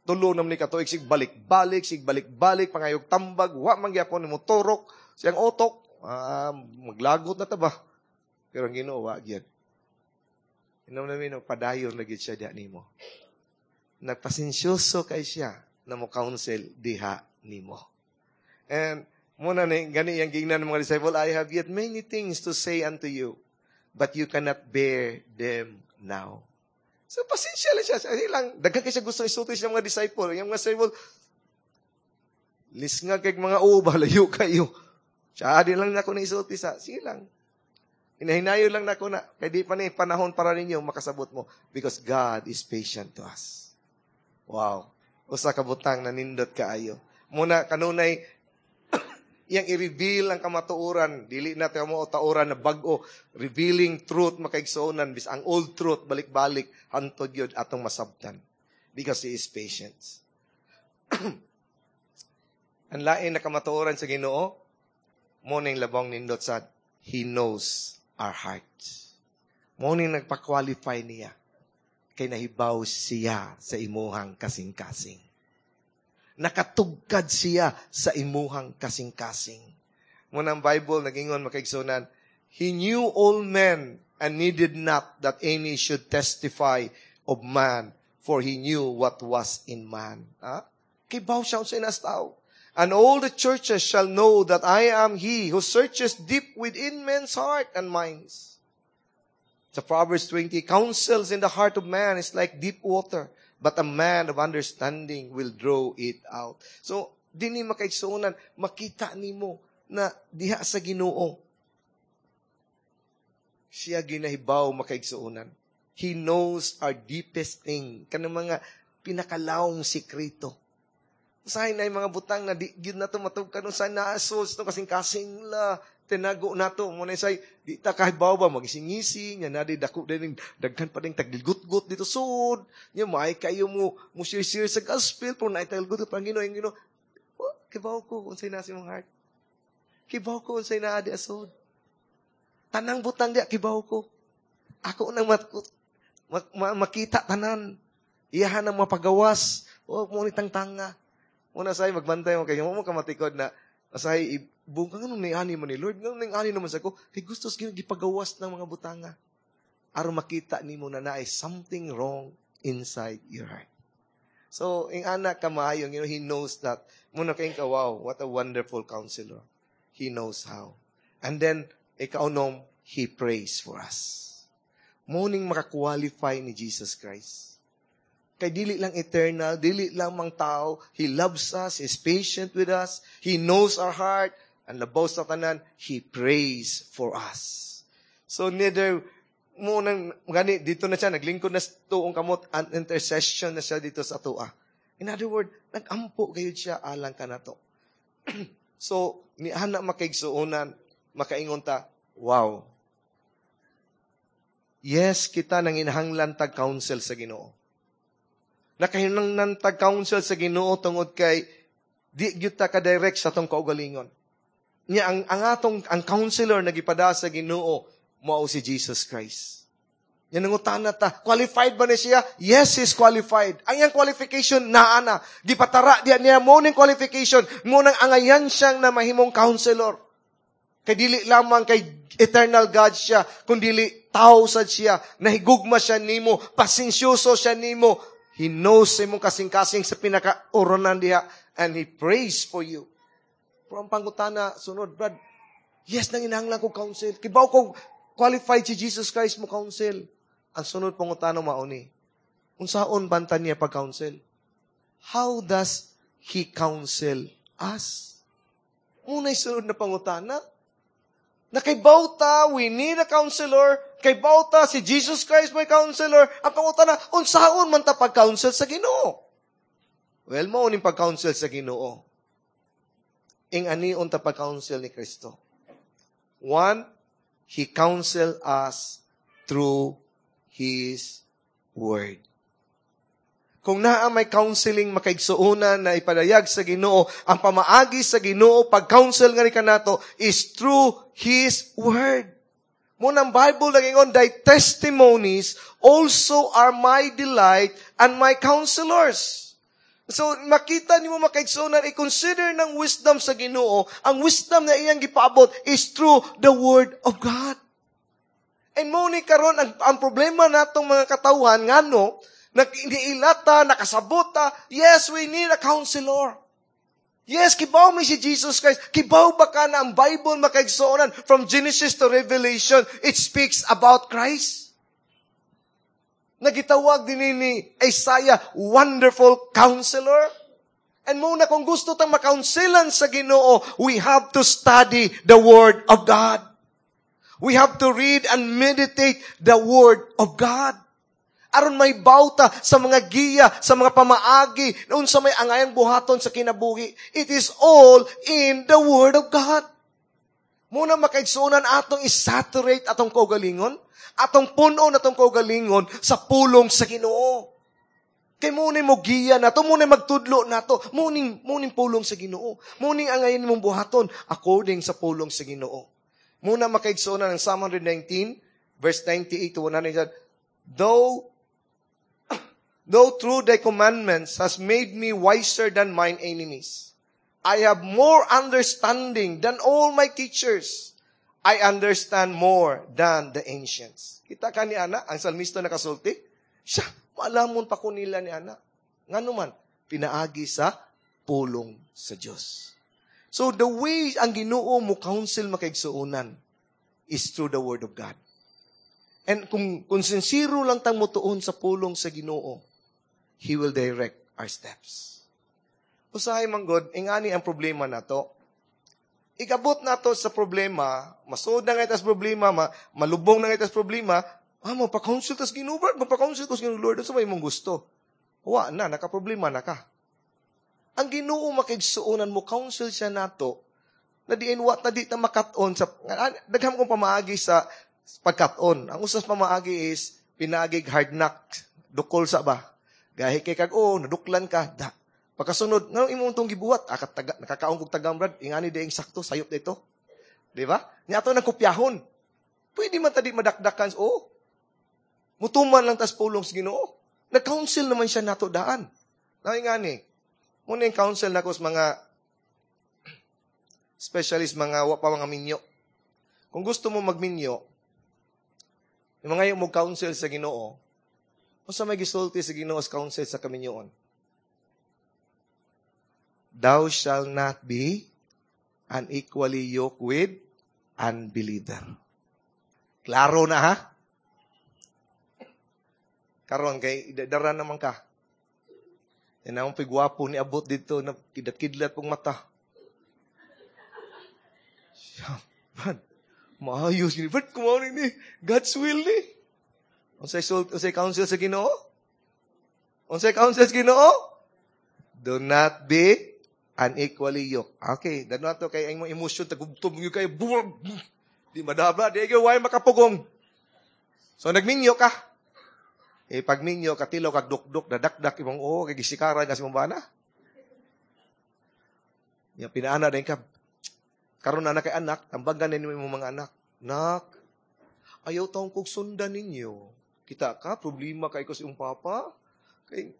A: tulo naman ni katuig, sig balik-balik, sig balik-balik, pangayog tambag, wa man gyapon ni motorok, siyang utok, uh, maglagot na ta ba? Pero ang Ginoo wa gyud. Inom namin, padayon na gyud siya diha nimo. Nagpasensyoso kay siya na mo counsel diha nimo. And mao na ni gani yang gingnan ng mga disciple, I have yet many things to say unto you, but you cannot bear them now. So, pasensya lang siya. Sige lang, daghan kay siya gusto isulti sa mga disciple. Yung mga disciple, lisngag kay mga uba, layo kayo. Siya, di lang nako na isulti sa. Sige lang. Hinahinayon lang nako na. Kay di pa ni panahon para ninyo makasabot mo. Because God is patient to us. Wow. Usa ka butang na nindot kaayo. Mao na kanunay iyang i-reveal ang kamatuoran, dili na tayo mo tauran na bag-o, revealing truth makaigsuonan bis ang old truth balik-balik hantod gyud atong masabtan because he is patient. ang lain na kamatuoran sa Ginoo, mao ning labong nindot sa he knows our hearts. Mao ning nagpa-qualify niya kay nahibaw siya sa imuhang kasing-kasing. Nakatugkad siya sa imuhang kasing-kasing. Mao nang Bible, nagingon makaigsunan, He knew all men and needed not that any should testify of man, for he knew what was in man. Ha? Kibaw siya sa inas tao. And all the churches shall know that I am he who searches deep within men's heart and minds. Sa Proverbs twenty, counsels in the heart of man is like deep water, but a man of understanding will draw it out. So, dinhi makaigsuonan, makita nimo na diha sa Ginoo. Siya ginahibaw makaigsuonan. He knows our deepest thing. Kanang mga pinakalawong sikreto. Usahay na yung mga butang na di gyud na to matugkad sa naasos no kasing-kasing la tinago nato mo na say di ta kahibaw ba magising-ngising nya na di dako din daghan pa ding tagilgut-gut dito sud nya maay kayo mo mo share-share sa gospel pero naay tagilgut pa Ginoo Ginoo oh, kibaw ko unsay naa sa imong heart kibaw ko unsay naa di asod tanang butang di kibaw ko ako nang mat, mak, ma, makita tanan iyahan ang mapagawas o mo ni tangtanga Muna say magbantay mo kay mo ka matikod na asay ibong ka nganong ni-ani man ni Lord nganong ning-ani naman sa ko kay gusto sa gipagawas ng mga butanga aron makita nimo na naay something wrong inside your heart. So, ing anak ka maayo, you know, he knows that. Mao na kay ka, wow, what a wonderful counselor. He knows how. And then, ikaunom, he prays for us. Mao ning makakwalify ni Jesus Christ. Kay dili lang eternal, dili lang mang tao. He loves us, He's patient with us, He knows our heart, and labaw sa tanan, He prays for us. So neither mo nang gani dito na siya naglingkod na sa tuong kamot an intercession na siya dito sa atoa. In other word, nagampo gayud siya alang kanato. so ni ana makaigsuonan, makaingon ta, wow. Yes, kita nang inahanglan tag counsel sa Ginoo. Nakahinangnan tag counsel sa Ginoo tungod kay di gyud ta ka-direct sa atong kaugalingon. Nya ang ang atong ang counselor na gipada sa Ginoo mao si Jesus Christ. Yan nangutana ta, qualified ba ni siya? Yes, he's qualified. Ang iyang qualification, naa na. Gipatara diya niya mo ning qualification, mo nang angayan siyang na mahimong counselor. Kay dili lamang kay eternal God siya, kung dili tao sad siya, nahigugma siya nimo, pasensyoso siya nimo. He knows imong kasing-kasing sa pinaka-uranan diha, and he prays for you. Pero ang pangutana, sunod, Brad, yes, nanginahanglan ko counsel. Kibaw ko, qualified si Jesus Christ mo counsel. Ang sunod pangutana mauni. Unsaon banta niya pag-counsel? How does He counsel us? Unay sunod na pangutana. Na kay bauta, we need a counselor. Kay bauta, si Jesus Christ may counselor. Ang pangutana, unsaon man ta pag-counsel sa Ginoo? Well, mao ning pag-counsel sa Ginoo. Ing ani unta pag-counsel ni Kristo. One, He counsel us through His Word. Kung naa may counseling makaigsuonan na ipadayag sa Ginoo, ang pamaagi sa Ginoo pag-counsel nga ni kanato is through His Word. Munang Bible nagingon, Thy testimonies also are my delight and my counselors. So, makita nimo makaigsuonan, i-consider ng wisdom sa Ginoo, ang wisdom na iyang gipaabot is through the Word of God. And mo ni karon ang, ang problema natong mga katawhan ngano nag-ilata, nakasabota, yes, we need a counselor. Yes, kibaw mi si Jesus Christ. Kibaw ba ka na ang Bible makaigsuonan from Genesis to Revelation, it speaks about Christ. Nagitawag din ni Isaiah, wonderful counselor. And muna kung gusto tang makounselan sa Ginoo, we have to study the Word of God. We have to read and meditate the Word of God. Aron may bauta sa mga giya, sa mga pamaagi, unsa may angayang buhaton sa kinabuhi. It is all in the Word of God. Muna makaigsuonan atong isaturate atong kaugalingon, atong puno atong kaugalingon sa pulong sa Ginoo. Kay muna mo giya nato, muna magtudlo nato, muning muning pulong sa Ginoo. Muning angayan mong buhaton according sa pulong sa Ginoo. Muna makaigsuonan ang Psalm one nineteen verse ninety-eight to one hundred, Though Though through thy commandments has made me wiser than mine enemies. I have more understanding than all my teachers. I understand more than the ancients. Kita ka ni Ana, ang salmista nakasulti? Siya, maalamon pa ko nila ni Ana. Ngano man, pinaagi sa pulong sa Diyos. So the way ang Ginoo mo counsel makaigsuonan is through the Word of God. And kung, kung sincero lang tang mutuon sa pulong sa Ginoo, He will direct our steps. Usahay man God, ingani ang problema nato. Ikabot nato sa problema, masuod na nga itas problema, ma, malubong na nga itas problema, ah, magpa-counsel tas Ginoo, Lord, magpa-counsel tas Ginoo, Lord, sa may mong gusto. Wa na, nakaproblema na ka. Ang Ginoo makigsuonan mo, counsel siya nato, na diin wa ta di ta makat-on sa, daghang kong pamaagi sa pagkat-on. Ang usas pamaagi is, pinagig hard knock, dukol sa ba? Gahi kay kag, oh, naduklan ka, da. Pagkasunod, nganong imong tong gibuhat? Ah, kataga, nakakaon kog tagam, Brad, ingani diing sakto, sayop dito. Di ba? Nya ato nang kopyahon. Pwede man ta di madakdakan, oh. Mutuman lang tas pulong sa Ginoo. Nag-counsel naman siya nato daan. Na ingani, muna yung counsel nako sa mga specialist, mga wa pa mga minyo. Kung gusto mo magminyo, yung mga yung mo counsel sa Ginoo, unsa may gisulti sa Ginoo sa counsel sa kaminyoon? Thou shalt not be unequally yoked with unbeliever. Klaro na ha? Karon kay dara naman ka. Yan ang pigwapo ni abot dito na kidlat-kidlat pong mata. Siya, man, maayos ni Brad, kumaw ni God's will ni. Unsay unsay counsel sa Ginoo? Unsay counsel sa Ginoo? Do not be unequally yoked. Okay, dano ato kay ang imong emosyon tagubtob gyud kayo. Di madabla, di gyud way makapugong. So nagminyo ka. Eh pag minyo katilaw kag dukduk dadakdak imong oo kay gisikaran kasi imong bana. Ya pinaana din ka. Karon na na kay anak, tambagan ninyo imong mga anak. Nak, ayaw taong kog sundan ninyo. Kita ka, problema kay ko sa iyong papa. Kay,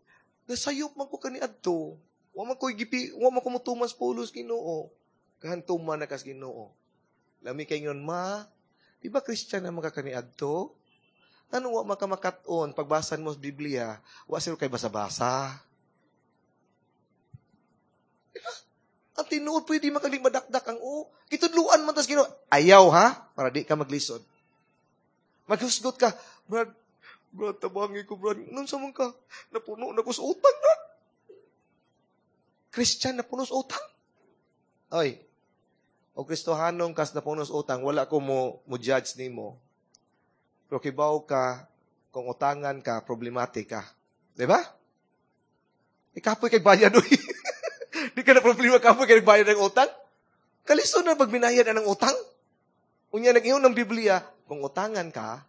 A: nasayop man ko kaniadto. Wa man ko gipi, wa man ko motuman sa pulos Ginoo. Kahantuman na kas Ginoo. Lami kay ngon ma, di ba Christian na mga kaniadto? Ano wa man ka makat-on pagbasan mo sa Biblia, wa sila kay basa-basa. Diba? Ang tinuod pwede makali madakdak ang o. Gitudluan man tas Ginoo. Ayaw ha, para di ka maglisod. Maghusgot ka, Brad, Brad, tabangi ko, Brad. Nun sa man ka, napuno na ko sa utang, Brad. Christian, napuno sa utang. Oy, o Kristohanong kas napuno sa utang, wala ko mo, mo judge nimo. Pero kibaw ka, kung utangan ka, problematic ka. Di ba? Ikapoy kay bayad, uy. Di ka na problema kapoy kay bayad ng utang. Kalisod na pag binayad ang utang. Unya, nag-ingon ng Biblia, kung utangan ka,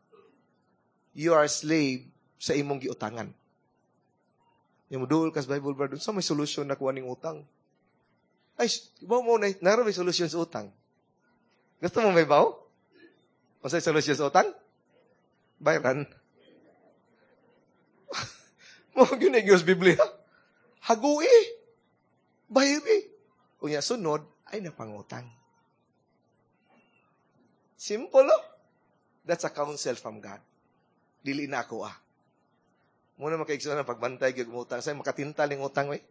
A: you are slave sa imong giutangan. Yung muduol kas Bible, brother, sa may solusyon na kuha ning utang. Ay, ba mo na, naro may solusyon sa utang. Gusto mo may baw? O sa solusyon sa utang? Bayran. Mo gyud sa Biblia. Hagui. Bayri. Unya sunod ay napangutang. Simple, oh? That's a counsel from God. Dili na ako, ah. Muna makaigsoon ang pagbantay gyud utang. Say makatintal ning utang oy.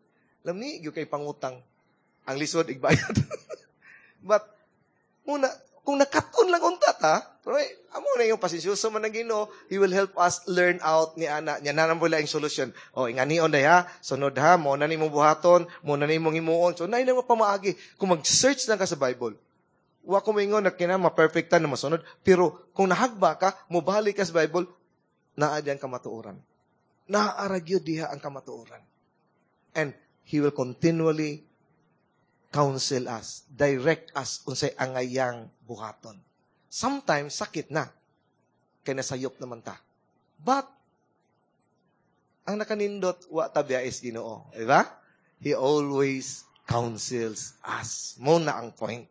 A: Lami gyud kay pangutang. Ang lisod igbayad. But muna kung nakat-on lang unta ta, pero eh, amo na yung pasensyoso man ang Ginoo, He will help us learn out ni ana niya na wala yung solusyon. O inganion na ha, sunod ha, mo na nimong buhaton, mo na nimong himuon. So nay na pamaagi kung mag-search lang ka sa Bible. Wa ko moingon na kina ma-perfecta na masunod, pero kung nahagba ka, mobalik ka sa Bible, naa diyan kamatuoran. Naa ra gyud diha ang kamatuoran. And He will continually counsel us, direct us unsay angayang buhaton. Sometimes sakit na kay nasayop naman ta. But ang nakanindot wa ta is Ginoo, di ba? He always counsels us. Mo na ang point.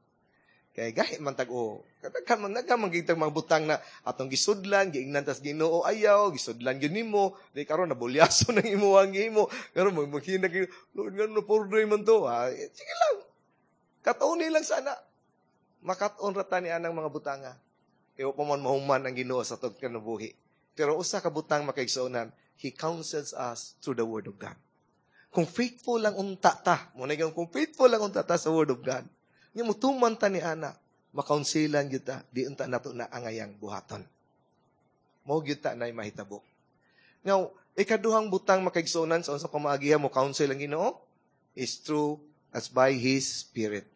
A: Kay gahi man tag o kadaghan man nagka man gitag mga butang na atong gisudlan, giingnan tas Ginoo ayaw, gisudlan gyud nimo, di karon nabulyaso nang imo ang imo. Karon mo maghina gyud, Lord ngano purdoy man to. Ah, sige lang. Katauni lang sana. Makat-on ra ta ni anang mga butanga. Kay pa man mahuman ang Ginoo sa atong kinabuhi. Pero usa ka butang makaigsuonan, He counsels us through the Word of God. Kung faithful lang unta ta, mo na kung faithful lang unta ta sa Word of God, nya mutuman ta ni ana, makaunsilan gyud ta, di unta nato na angayang buhaton. Mao gyud ta nay mahitabo. Now, ikaduhang butang makaigsuonan sa unsa pamaagiha mo counsel ang Ginoo is through as by His Spirit.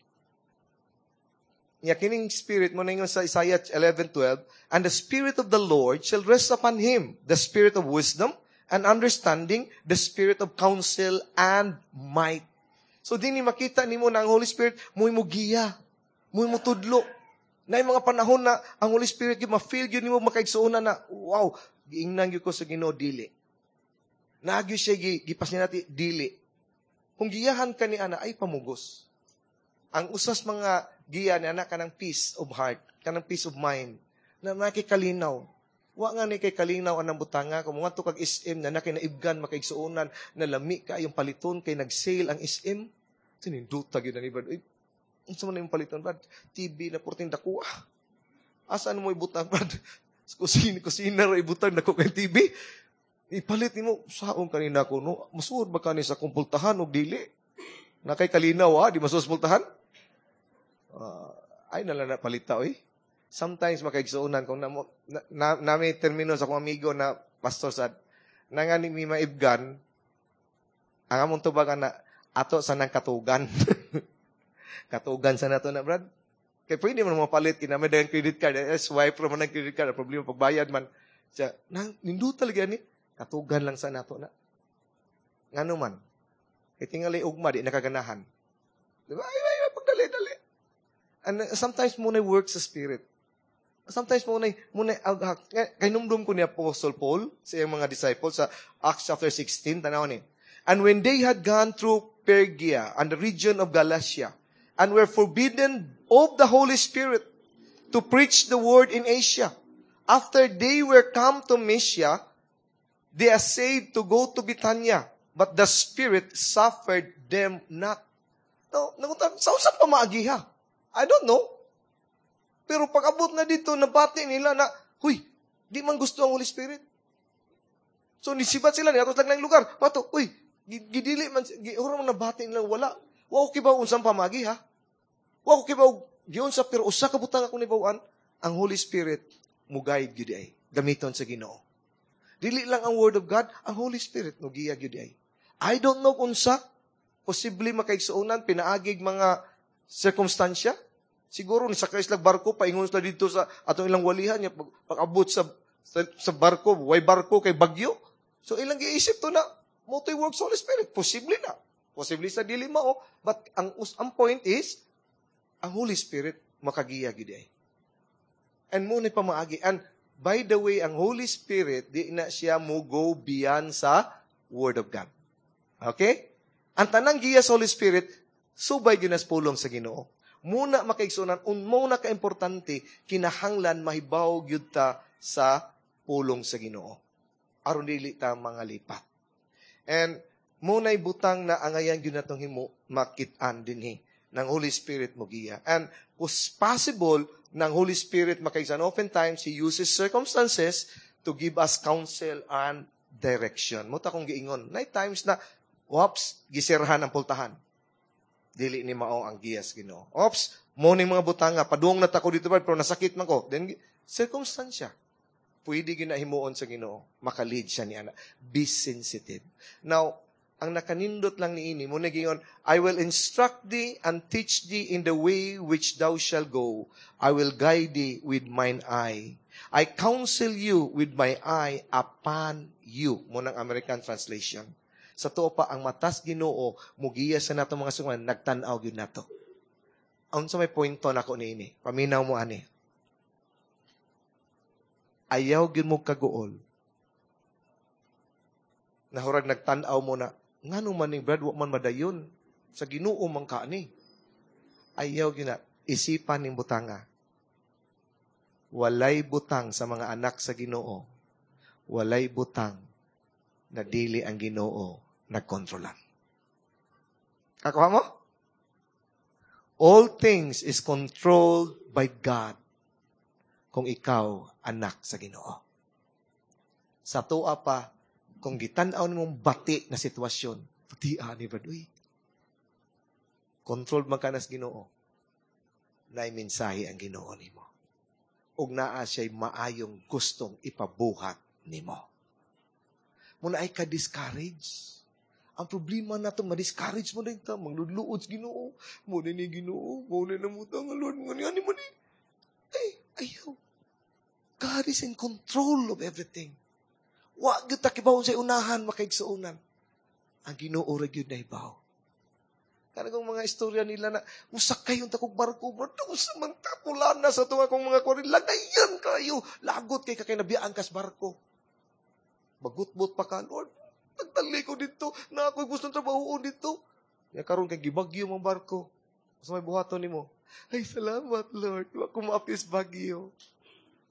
A: Nya kining spirit mo na sa Isaiah eleven twelve, and the Spirit of the Lord shall rest upon him, the spirit of wisdom and understanding, the spirit of counsel and might. So dinhi makita nimo na ang Holy Spirit mo'y mo giya, mo'y mo tudlo. Na mga panahon na ang Holy Spirit gyud ma-feel gyud nimo makaigsuonan na wow, giingnan gyud ko sa Ginoo dili. Naagyo siya gipas niya nati dili. Kung giyahan ka ni ana ay pamugos. Ang usas mga giya ni ana kanang peace of heart, kanang peace of mind, na nakikalinaw. Wa nga ni kay kalinaw anang butanga kung ngadto kag S M na nakinaibgan makaigsuonan na lami ka yung paliton kay nag-sale ang S M. Sininduta gyud na ni Brad. Uy, unsa man imong paliton Brad? T V na porting dako. Asa mo ibutang Brad? Sa kusina, kusina ra ibutang dako kay T V. Ipalit nimo saon kanina ko no. Masuod ba kani sa kumpultahan og dili? Na kay kalinaw ha, di masuod sa pultahan? Uh, ay nala na palita oy. Sometimes makaigsuonan kung na, na, na, nami termino sa akong amigo na pastor sad nangani mi maibgan ang among tubagan na ato sa nang katugan. Katugan sa nato na Brad. Kay pwede man mapalit kinami dagang credit card, eh, swipe ra man ang credit card, problema pagbayad man. Siya, nang ninduta lagi ani, katugan lang sa nato na. Ngano man? Kay tingali ugma di nakaganahan. Di ba? Ay, ay, ay, pagdali-dali. And sometimes mo na work sa spirit. Sometimes mo na, mo na, kay numdum ko ni Apostle Paul sa iyang mga disciples sa Acts chapter sixteen, tanaw ni. And when they had gone through Phrygia and the region of Galatia, and were forbidden of the Holy Spirit to preach the word in Asia, after they were come to Mysia, They essayed to go to Bithynia, but the Spirit suffered them not. No, nangutan, sa unsa pamaagi ha? I don't know. Pero pag abot na dito, nabati nila na, huy, di man gusto ang Holy Spirit. So, nisibat sila, niadto lang lang lugar. Pato, uy, gidili man, gi, man nabati nila, wala. Wa ko kibaw unsang pamaagi ha. Wa ko kibaw giunsa pero usa ka butang akong nahibawuan, ang Holy Spirit mo guide gyud ay gamiton sa Ginoo. Dili lang ang Word of God, ang Holy Spirit mo giya gyud ay. I don't know unsa posible makaigsuonan pinaagig mga sirkumstansya. Siguro ni sakay sila barko paingon sila dito sa atong ilang walihan niya pag, pag-abot sa, sa sa barko, way barko kay bagyo. So ilang giisip to na mao to'y work sa Holy Spirit. Posible na. Posible sa dili mao, but ang ang point is ang Holy Spirit makagiya gid ay. And mo ni pamaagi. And by the way, ang Holy Spirit di na siya mo go beyond sa Word of God. Okay? Ang tanang giya sa Holy Spirit subay gyud nas pulong sa Ginoo. Muna makaigsunan, un muna ka-importante, kinahanglan mahibaw gyud ta sa pulong sa Ginoo. Aron dili ta mga lipat. And muna'y butang na angayan gyud natong himo makit-an dinhi ng Holy Spirit mo giya. And was possible ng Holy Spirit makaigsan. Oftentimes, He uses circumstances to give us counsel and direction. Mao akong giingon. Naay times na, whoops, gisirhan ang pultahan. Dili ni mao ang giyas Ginoo. Oops, mo ning mga butanga, padung na ta ko dito pero nasakit man ko. Then, circumstansya. Pwede ginahimuon sa Ginoo. Makalid siya ni ana. Be sensitive. Now, ang nakanindot lang ni ini, mo nagingon, I will instruct thee and teach thee in the way which thou shalt go. I will guide thee with mine eye. I counsel you with my eye upon you. Mo nang American translation. Sa tuo pa, ang matas Ginoo, mugiya sa nato mga sungan, nagtan-aw gyud nato. Unsa may punto nako niini? Paminaw mo ani. Ayaw gyud mo kaguol. Nahurag nagtan-aw mo na, ngano man ning Brad, wa man madayon. Sa Ginoo man ka ni. Ayaw gyud na isipan ning butanga. Walay butang sa mga anak sa Ginoo. Walay butang na dili ang Ginoo nagkontrolan. Kakuha mo? All things is controlled by God kung ikaw anak sa Ginoo. Sa tuwa pa, kung gitan-aw nimong bati na sitwasyon, bati ni Brad, uy, controlled man ka nas Ginoo, naay mensahe ang Ginoo nimo. Ug naa siya'y maayong gustong ipabuhat nimo. Muna ay ka-discourage. Ang problema nato, ma-discourage mo din ta, mangludluod sa Ginoo. Mo ni Ginoo, mo ni namuta nga Lord, mo ni mo ni. Ay, ayaw. God is in control of everything. Wa gyud ta kibaw sa unahan makaigsuonan. Ang Ginoo ra gyud nahibaw. Kanang mga istorya nila na musakay yung takog barko, bro, sa man pula na sa tunga kong mga kwari, lagayan kayo, lagot kay kakay nabiyaan kas barko. Bagutbot pa ka, Lord, nagtali ko dito, na ako'y gustong trabahoon dito. Ya karon kay gibagyo mang barko. Sa may buhaton nimo. Ay, salamat, Lord. Wa ko maapis bagyo.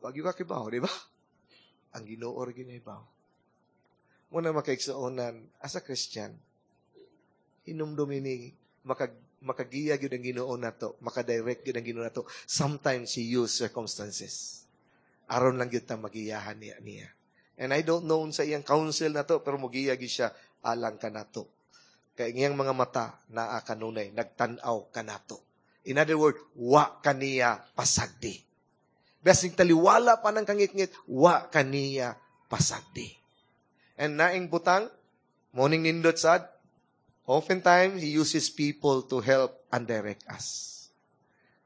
A: Bagyo ka kibaw, di ba? Ang Ginoo ra ginahibaw. Muna makaigsuonan, as a Christian, hinumdumi ni makag, makagiya gyud ang Ginoo nato, makadirect gyud ang Ginoo nato. Sometimes He use circumstances. Aron lang gyud ta magiyahan niya niya. And I don't know sa iyang counsel nato, pero mugiya gyud siya alang kanato. Kay iyang mga mata naa kanunay, nagtan-aw kanato. In other words, wa kaniya pasagdi. Basing taliwala pa ng kangitngit, wa kaniya pasagdi. And naing butang, morning nindot sad, oftentimes, He uses people to help and direct us.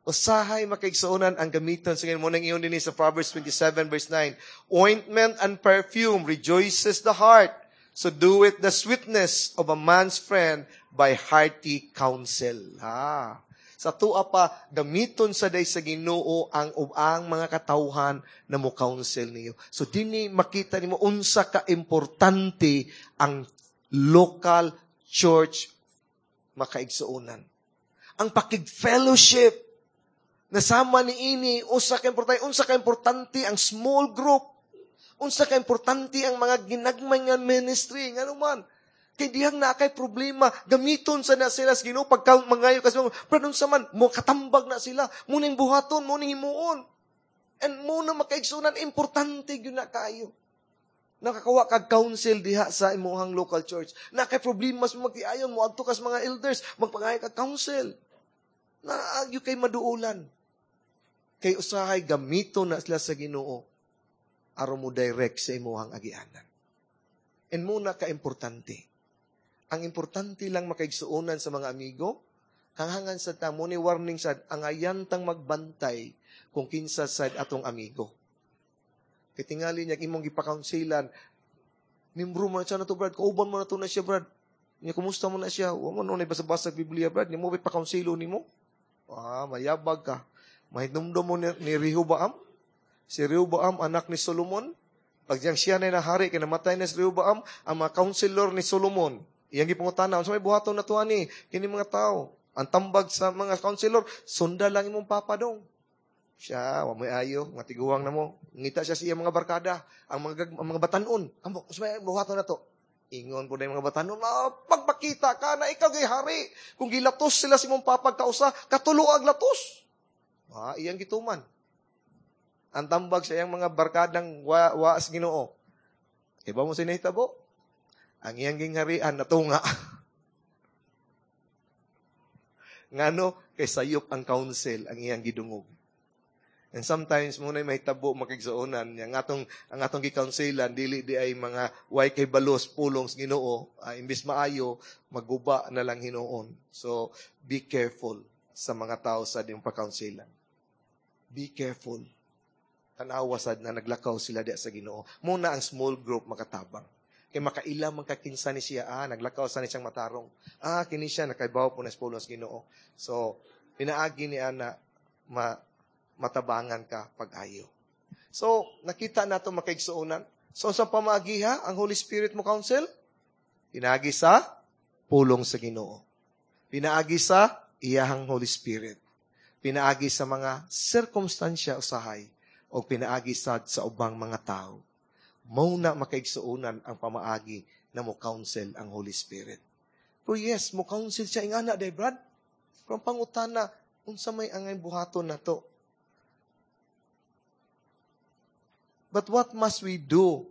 A: Usahay makaigsuonan ang gamiton sa mo nang iyon din sa Proverbs twenty-seven verse nine. Ointment and perfume rejoices the heart. So do it the sweetness of a man's friend by hearty counsel. Ha. Sa tuwa pa, gamiton sa day sa Ginoo ang ang mga katawhan na mo counsel niyo. So dinhi makita nimo unsa ka importante ang local church makaigsuonan. Ang pakig-fellowship nasama ni ini usa ka importante, unsa ka importante ang small group. Unsa ka importante ang mga ginagmay nga ministry ngano man? Kay dihang naa kay problema, gamiton sa na sila sa Ginoo pagka mangayo kasi pero unsa man mo katambag na sila, mao ning buhaton, mao ning himuon. And mao na makaigsunan importante gyud na kayo. Nakakuha kag counsel diha sa imuhang local church. Naa kay problema sa magtiayon mo adto kas mga elders, magpangayo kag counsel. Naagyo kay maduulan. Kay usahay gamito na sila sa Ginoo aron mo direct sa imuhang agianan. And mao na ka-importante. Ang importante lang makaigsuonan sa mga amigo, kanghangan sa ta mo ni warning sad angayan tang magbantay kung kinsa sad atong amigo. Kay tingali niya imong gipakounselan, mimbro mo na siya na to, Brad. Kauban mo na to na siya, Brad. Niya, kumusta mo na siya? Wa mo na basa-basa Biblia, Brad. Ni mo pakounselo nimo? Ah, mayabag ka. Mahinumdum mo ni, ni Rehoboam? Si Rehoboam, anak ni Solomon. Pag diyang siya na nahari, kay namatay na si Rehoboam, ang mga counselor ni Solomon, iyang gipangutana, unsa may buhaton na ani kini mga tao. Ang tambag sa mga counselor, sunda lang imong papa dong. Siya, wa mo'y ayo, nga tiguwang na mo. Ngita siya sa iyang mga barkada, ang mga ang mga batanon. Amo, unsa may buhaton na to? Ingon po na yung mga batanon, ah, pagpakita ka na ikaw gay hari. Kung gilatos sila sa imong papag kausa, katulo ag latos. Ah, iyang gituman. Ang tambag sa iyang mga barkadang wa, wa sa Ginoo. Iba mo sinahitabo? Ang iyang gingharian natunga. Ngano kay sayop ang counsel ang iyang gidungog. And sometimes mao na'y mahitabo makigsuonan niya ang atong ang atong gicounselan dili di ay mga way kay balos pulong sa Ginoo, uh, imbis maayo maguba na lang hinuon. So be careful sa mga tao sa diyong pa-counselan. Be careful. Tanawa sad na naglakaw sila diya sa Ginoo. Mao na ang small group makatabang. Kay makaila man kakinsa ni siya, ah, naglakaw sa ni siyang matarong. Ah, kini siya nakaibaw po na sa pulong sa Ginoo. So, pinaagi ni ana ma matabangan ka pag-ayo. So, nakita nato makaigsuonan. So, sa pamagiha, ang Holy Spirit mo counsel? Pinaagi sa pulong sa Ginoo. Pinaagi sa iyahang Holy Spirit. Pinaagi sa mga sirkumstansya usahay o pinaagi sad sa ubang mga tao. Mao na makaigsuonan ang pamaagi na mo counsel ang Holy Spirit. Pero yes, mo counsel siya ingana day, Brad. Pero ang pangutana, unsa may angay buhaton na to? But what must we do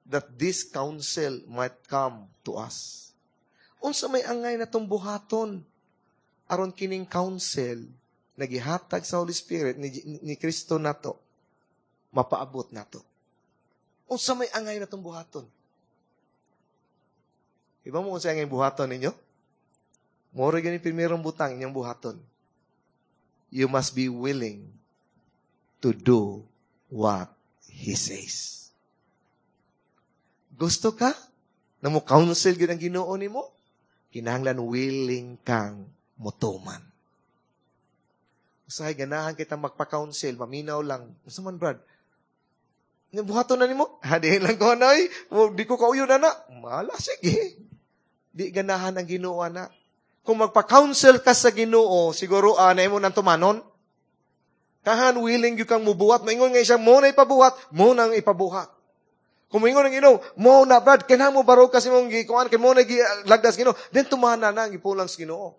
A: that this counsel might come to us? Unsa may angay na tong buhaton aron kining counsel na gihatag sa Holy Spirit ni, ni Kristo nato mapaabot nato. Unsa may angay na tong buhaton? Iba mo unsa angay buhaton ninyo? Moro gani primerong butang inyong buhaton. You must be willing to do what He says. Gusto ka na mo counsel gyud ang Ginoo nimo? Kinahanglan willing kang motuman. Usahay ganahan kita magpa-counsel, maminaw lang. Unsa man, Brad? Nga buhaton na nimo? Ha, di lang ko nay. Di ko kauyo na na. Mala, sige. Di ganahan ang Ginoo na. Kung magpa-counsel ka sa Ginoo, siguro anay mo nang tumanon. Kahan willing gyud kang mubuhat. Maingon nga siya, mo na ipabuhat, mo nang ipabuhat. Kung maingon ang Ginoo, mo na, Brad, kinahanglan mo barog kasi mong gikuan, kay mo na gilagdas Ginoo, then tumana na ang ipulang sa Ginoo.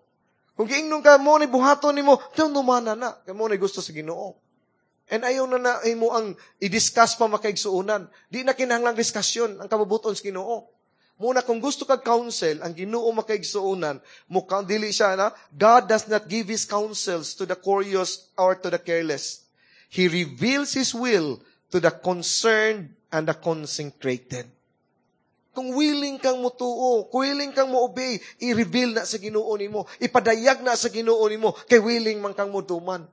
A: Kung giingnon ka, mo na buhaton nimo, then tumana na, kay mo na gusto sa Ginoo. And ayaw na na imo ang i-discuss pa makaigsuonan. Di na kinahanglang diskusyon ang kabubuton sa Ginoo. Muna kung gusto kag counsel, ang Ginoo makaigsuonan, mukhang dili siya na, God does not give His counsels to the curious or to the careless. He reveals His will to the concerned and the consecrated. Kung willing kang mutuo, kung willing kang mo-obey, i-reveal na sa Ginoo nimo, ipadayag na sa Ginoo nimo, kay willing man kang mutuman.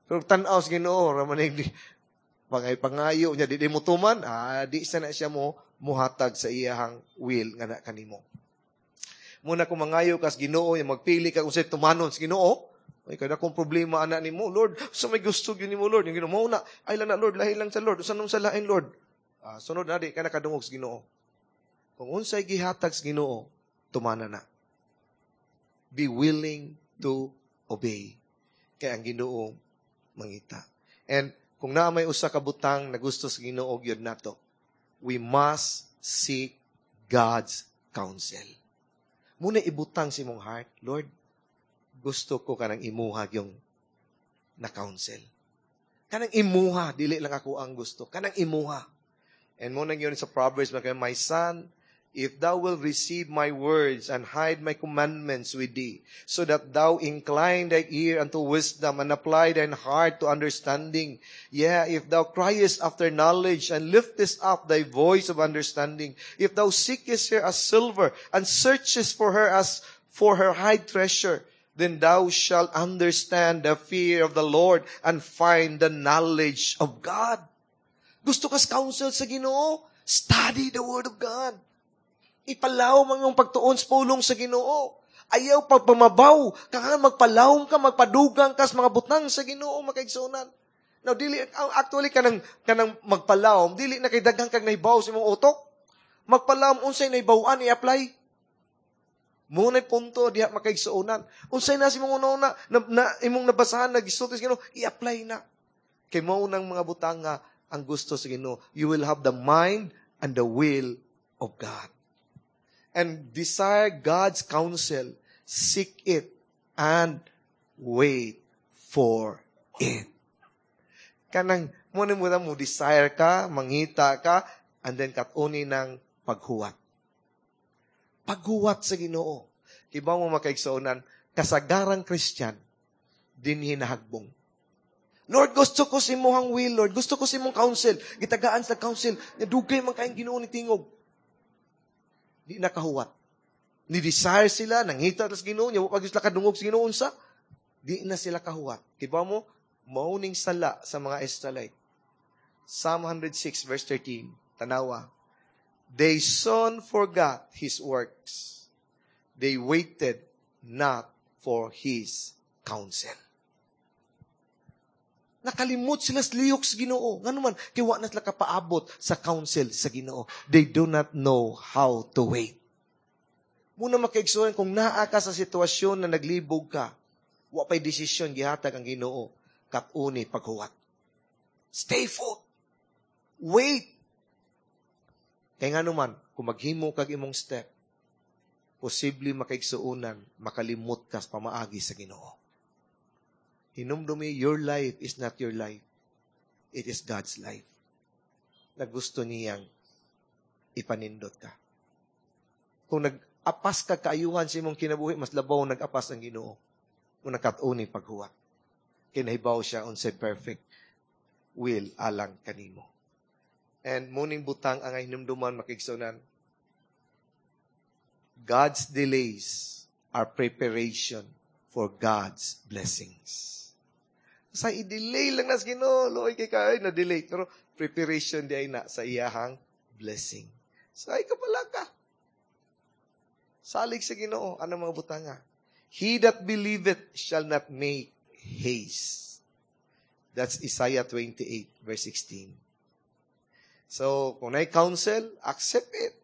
A: Pero tan-aw sa Ginoo, ramanig di, pangay pangayo niya, di di mutuman, ah, di sa na siya mo muhatag sa iyahang will nga na kanimo. Muna kung mangayo kas Ginoo, yung magpili ka kung sa'y tumanon sa Ginoo, ay kada kung problema ana nimo, Lord, sa may gusto gyud nimo, Lord, yung Ginoo mo na, ay lang na Lord, lahi lang sa Lord, usa nung sa lain, Lord. Ah, sunod na di ka nakadungog sa Ginoo. Kung unsay gihatag sa Ginoo, tumana na. Be willing to obey. Kay ang Ginoo mangita. And kung naa may usa ka butang na gusto sa Ginoo gyud nato, We must seek God's counsel. Muna ibutang sa imong heart, Lord, gusto ko kanang imuha yung na counsel. Kanang imuha, dili lang ako ang gusto. Kanang imuha. And mao nang yun sa Proverbs, my son, if thou wilt receive my words and hide my commandments with thee, so that thou incline thy ear unto wisdom and apply thine heart to understanding. Yeah, if thou criest after knowledge and liftest up thy voice of understanding, if thou seekest her as silver and searchest for her as for her hid treasure, then thou shalt understand the fear of the Lord and find the knowledge of God. Gusto kas counsel sa Ginoo? Study the Word of God. Ipalawom ang iyong pagtuon sa pulong sa Ginoo. Ayaw pagpamabaw. Kaya magpalawom ka, magpadugang ka sa mga butang sa Ginoo, makaigsunan. Now, dili, actually, kanang, kanang magpalawom, dili na kay daghang kag nahibaw sa imong utok. Magpalawom, unsay nahibawan, i-apply. Mao na'y punto diha makaigsuonan. Unsay na sa imong una-una, na, na, imong nabasahan, nagisulti sa Ginoo, i-apply na. Kay mao nang mga butang nga ang gusto sa Ginoo. You will have the mind and the will of God. And desire God's counsel, seek it, and wait for it. Kanang, mo ni mo mo desire ka, mangita ka, and then kat-uni ng paghuwat. Paghuwat sa Ginoo. Kibaw mo makaigsuonan, kasagarang Christian, dinhi nahagbong. Lord, gusto ko sa imong will, Lord. Gusto ko sa imong counsel. Gitagaan sa counsel. Dugay man kayong Ginoo ni tingog. Di nakahuwat. Ni desire sila, nangita sa Ginoo, nya wa sila kadungog sa Ginoo unsa. Di na sila kahuwat. Kibaw mo, mao ning sala sa mga Israelite. Psalm one hundred six verse thirteen. Tanawa. They soon forgot his works. They waited not for his counsel. Nakalimot sila sa lihok sa Ginoo. Ngano man, kay wa na sila kapaabot sa counsel sa Ginoo. They do not know how to wait. Muna makaigsuonan, kung naa ka sa sitwasyon na naglibog ka, wa pa'y desisyon gihatag ang Ginoo, kat-uni paghuwat. Stay put. Wait. Kay ngano man, kung maghimo kag imong step, posible makaigsuonan, makalimot ka sa pamaagi sa Ginoo. Hinumdumi, your life is not your life. It is God's life. Na gusto niyang ipanindot ka. Kung nag-apas ka kaayuhan sa imong kinabuhi, mas labaw nag-apas ang Ginoo. Kung nakat-uni paghuwat. Kinahibaw siya unsay perfect will alang kanimo. And muning butang ang hinumduman makigsunan. God's delays are preparation for God's blessings. Sa i-delay lang nas Ginoo, luoy kay kay na delay pero preparation di ay na sa iyahang blessing. So ay kapala ka. Salig sa Ginoo anong mga butanga. He that believeth shall not make haste. That's Isaiah twenty-eight verse sixteen. So, kung naay counsel, accept it.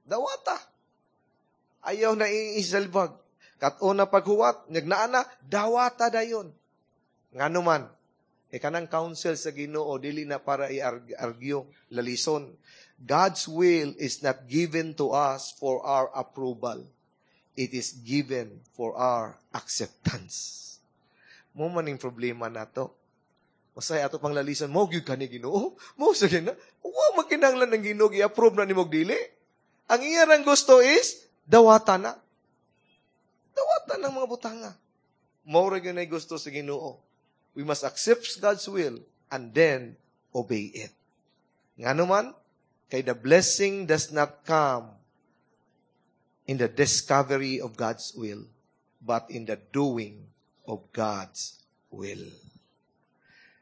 A: Dawata. Ayaw na iisalbag. Kat-o na paghuwat, nagnaa na, dawata dayon. Ngano man, e kanang counsel sa Ginoo dili na para i-argue, lalison. God's will is not given to us for our approval. It is given for our acceptance. Mo man ning problema nato. Masay ato pang lalison, mo gyud kani Ginoo. Mo sa gina. Wa magkinahanglan ng Ginoo gi-approve na nimo dili. Ang iya rang gusto is dawata na. Dawata ng mga butanga. Mao ra gyud nay gusto sa Ginoo. We must accept God's will and then obey it. Ngano man, kay the blessing does not come in the discovery of God's will, but in the doing of God's will.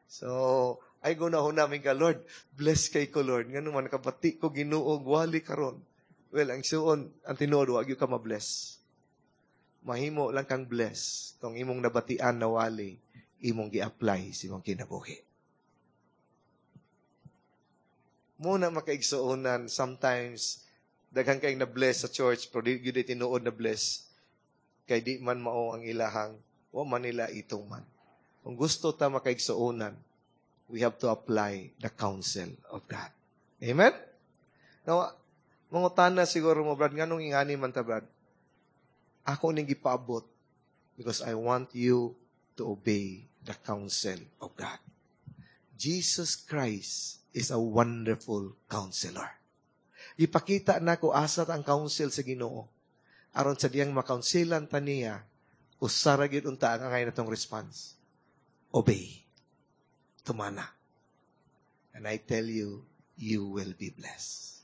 A: So, ay gunahon namin ka, Lord, bless kay ko, Lord. Ngano man, nakabati ko Ginoo, wali karon. Well, ang suon, ang tinuod, wag ka ma-bless. Mahimo lang kang bless kung imong nabatian na wali, imong gi-apply sa imong kinabuhi. Muna makaigsuonan, sometimes, daghan kayong na-bless sa church, pero di gyud tinuod na bless. Kay di man mao ang ilahang, wa man nila ituman. Kung gusto ta makaigsuonan, we have to apply the counsel of God. Amen? Now, mangutana siguro mo, Brad, nganong ingani man ta, Brad? Ako ning gipaabot because I want you to obey the counsel of God. Jesus Christ is a wonderful counselor. Ipakita nako asa ang counsel sa Ginoo. Aron sa diyang makounselan ta niya, usa ra gyud unta ang angay natong response. Obey. Tumana. And I tell you, you will be blessed.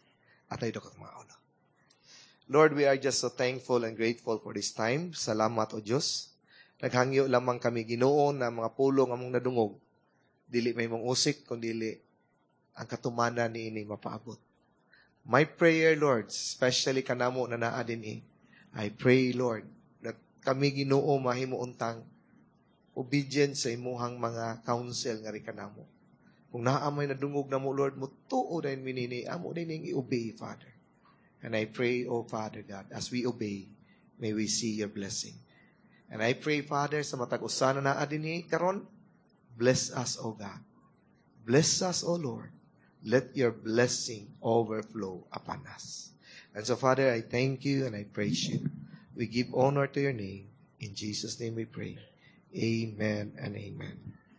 A: Atay do kag mga ulo. Lord, we are just so thankful and grateful for this time. Salamat, O Diyos. Naghangyo lamang kami Ginoo na mga pulong among nadungog. Dili may mong usik, kundi ang katumanan niini mapaabot. My prayer, Lord, especially kanamo na naa dinhi, I pray, Lord, that kami Ginoo mahimo untang obedient sa imuhang mga counsel nga kanamo. Kung naa may nadungog namo, Lord, mutuo dayon mi nini, amo din ning i-obey, Father. And I pray, O Father God, as we obey, may we see your blessing. And I pray, Father, sa matag usa na naa dinhi karon, bless us, O God. Bless us, O Lord. Let your blessing overflow upon us. And so, Father, I thank you and I praise you. We give honor to your name. In Jesus' name we pray. Amen and amen.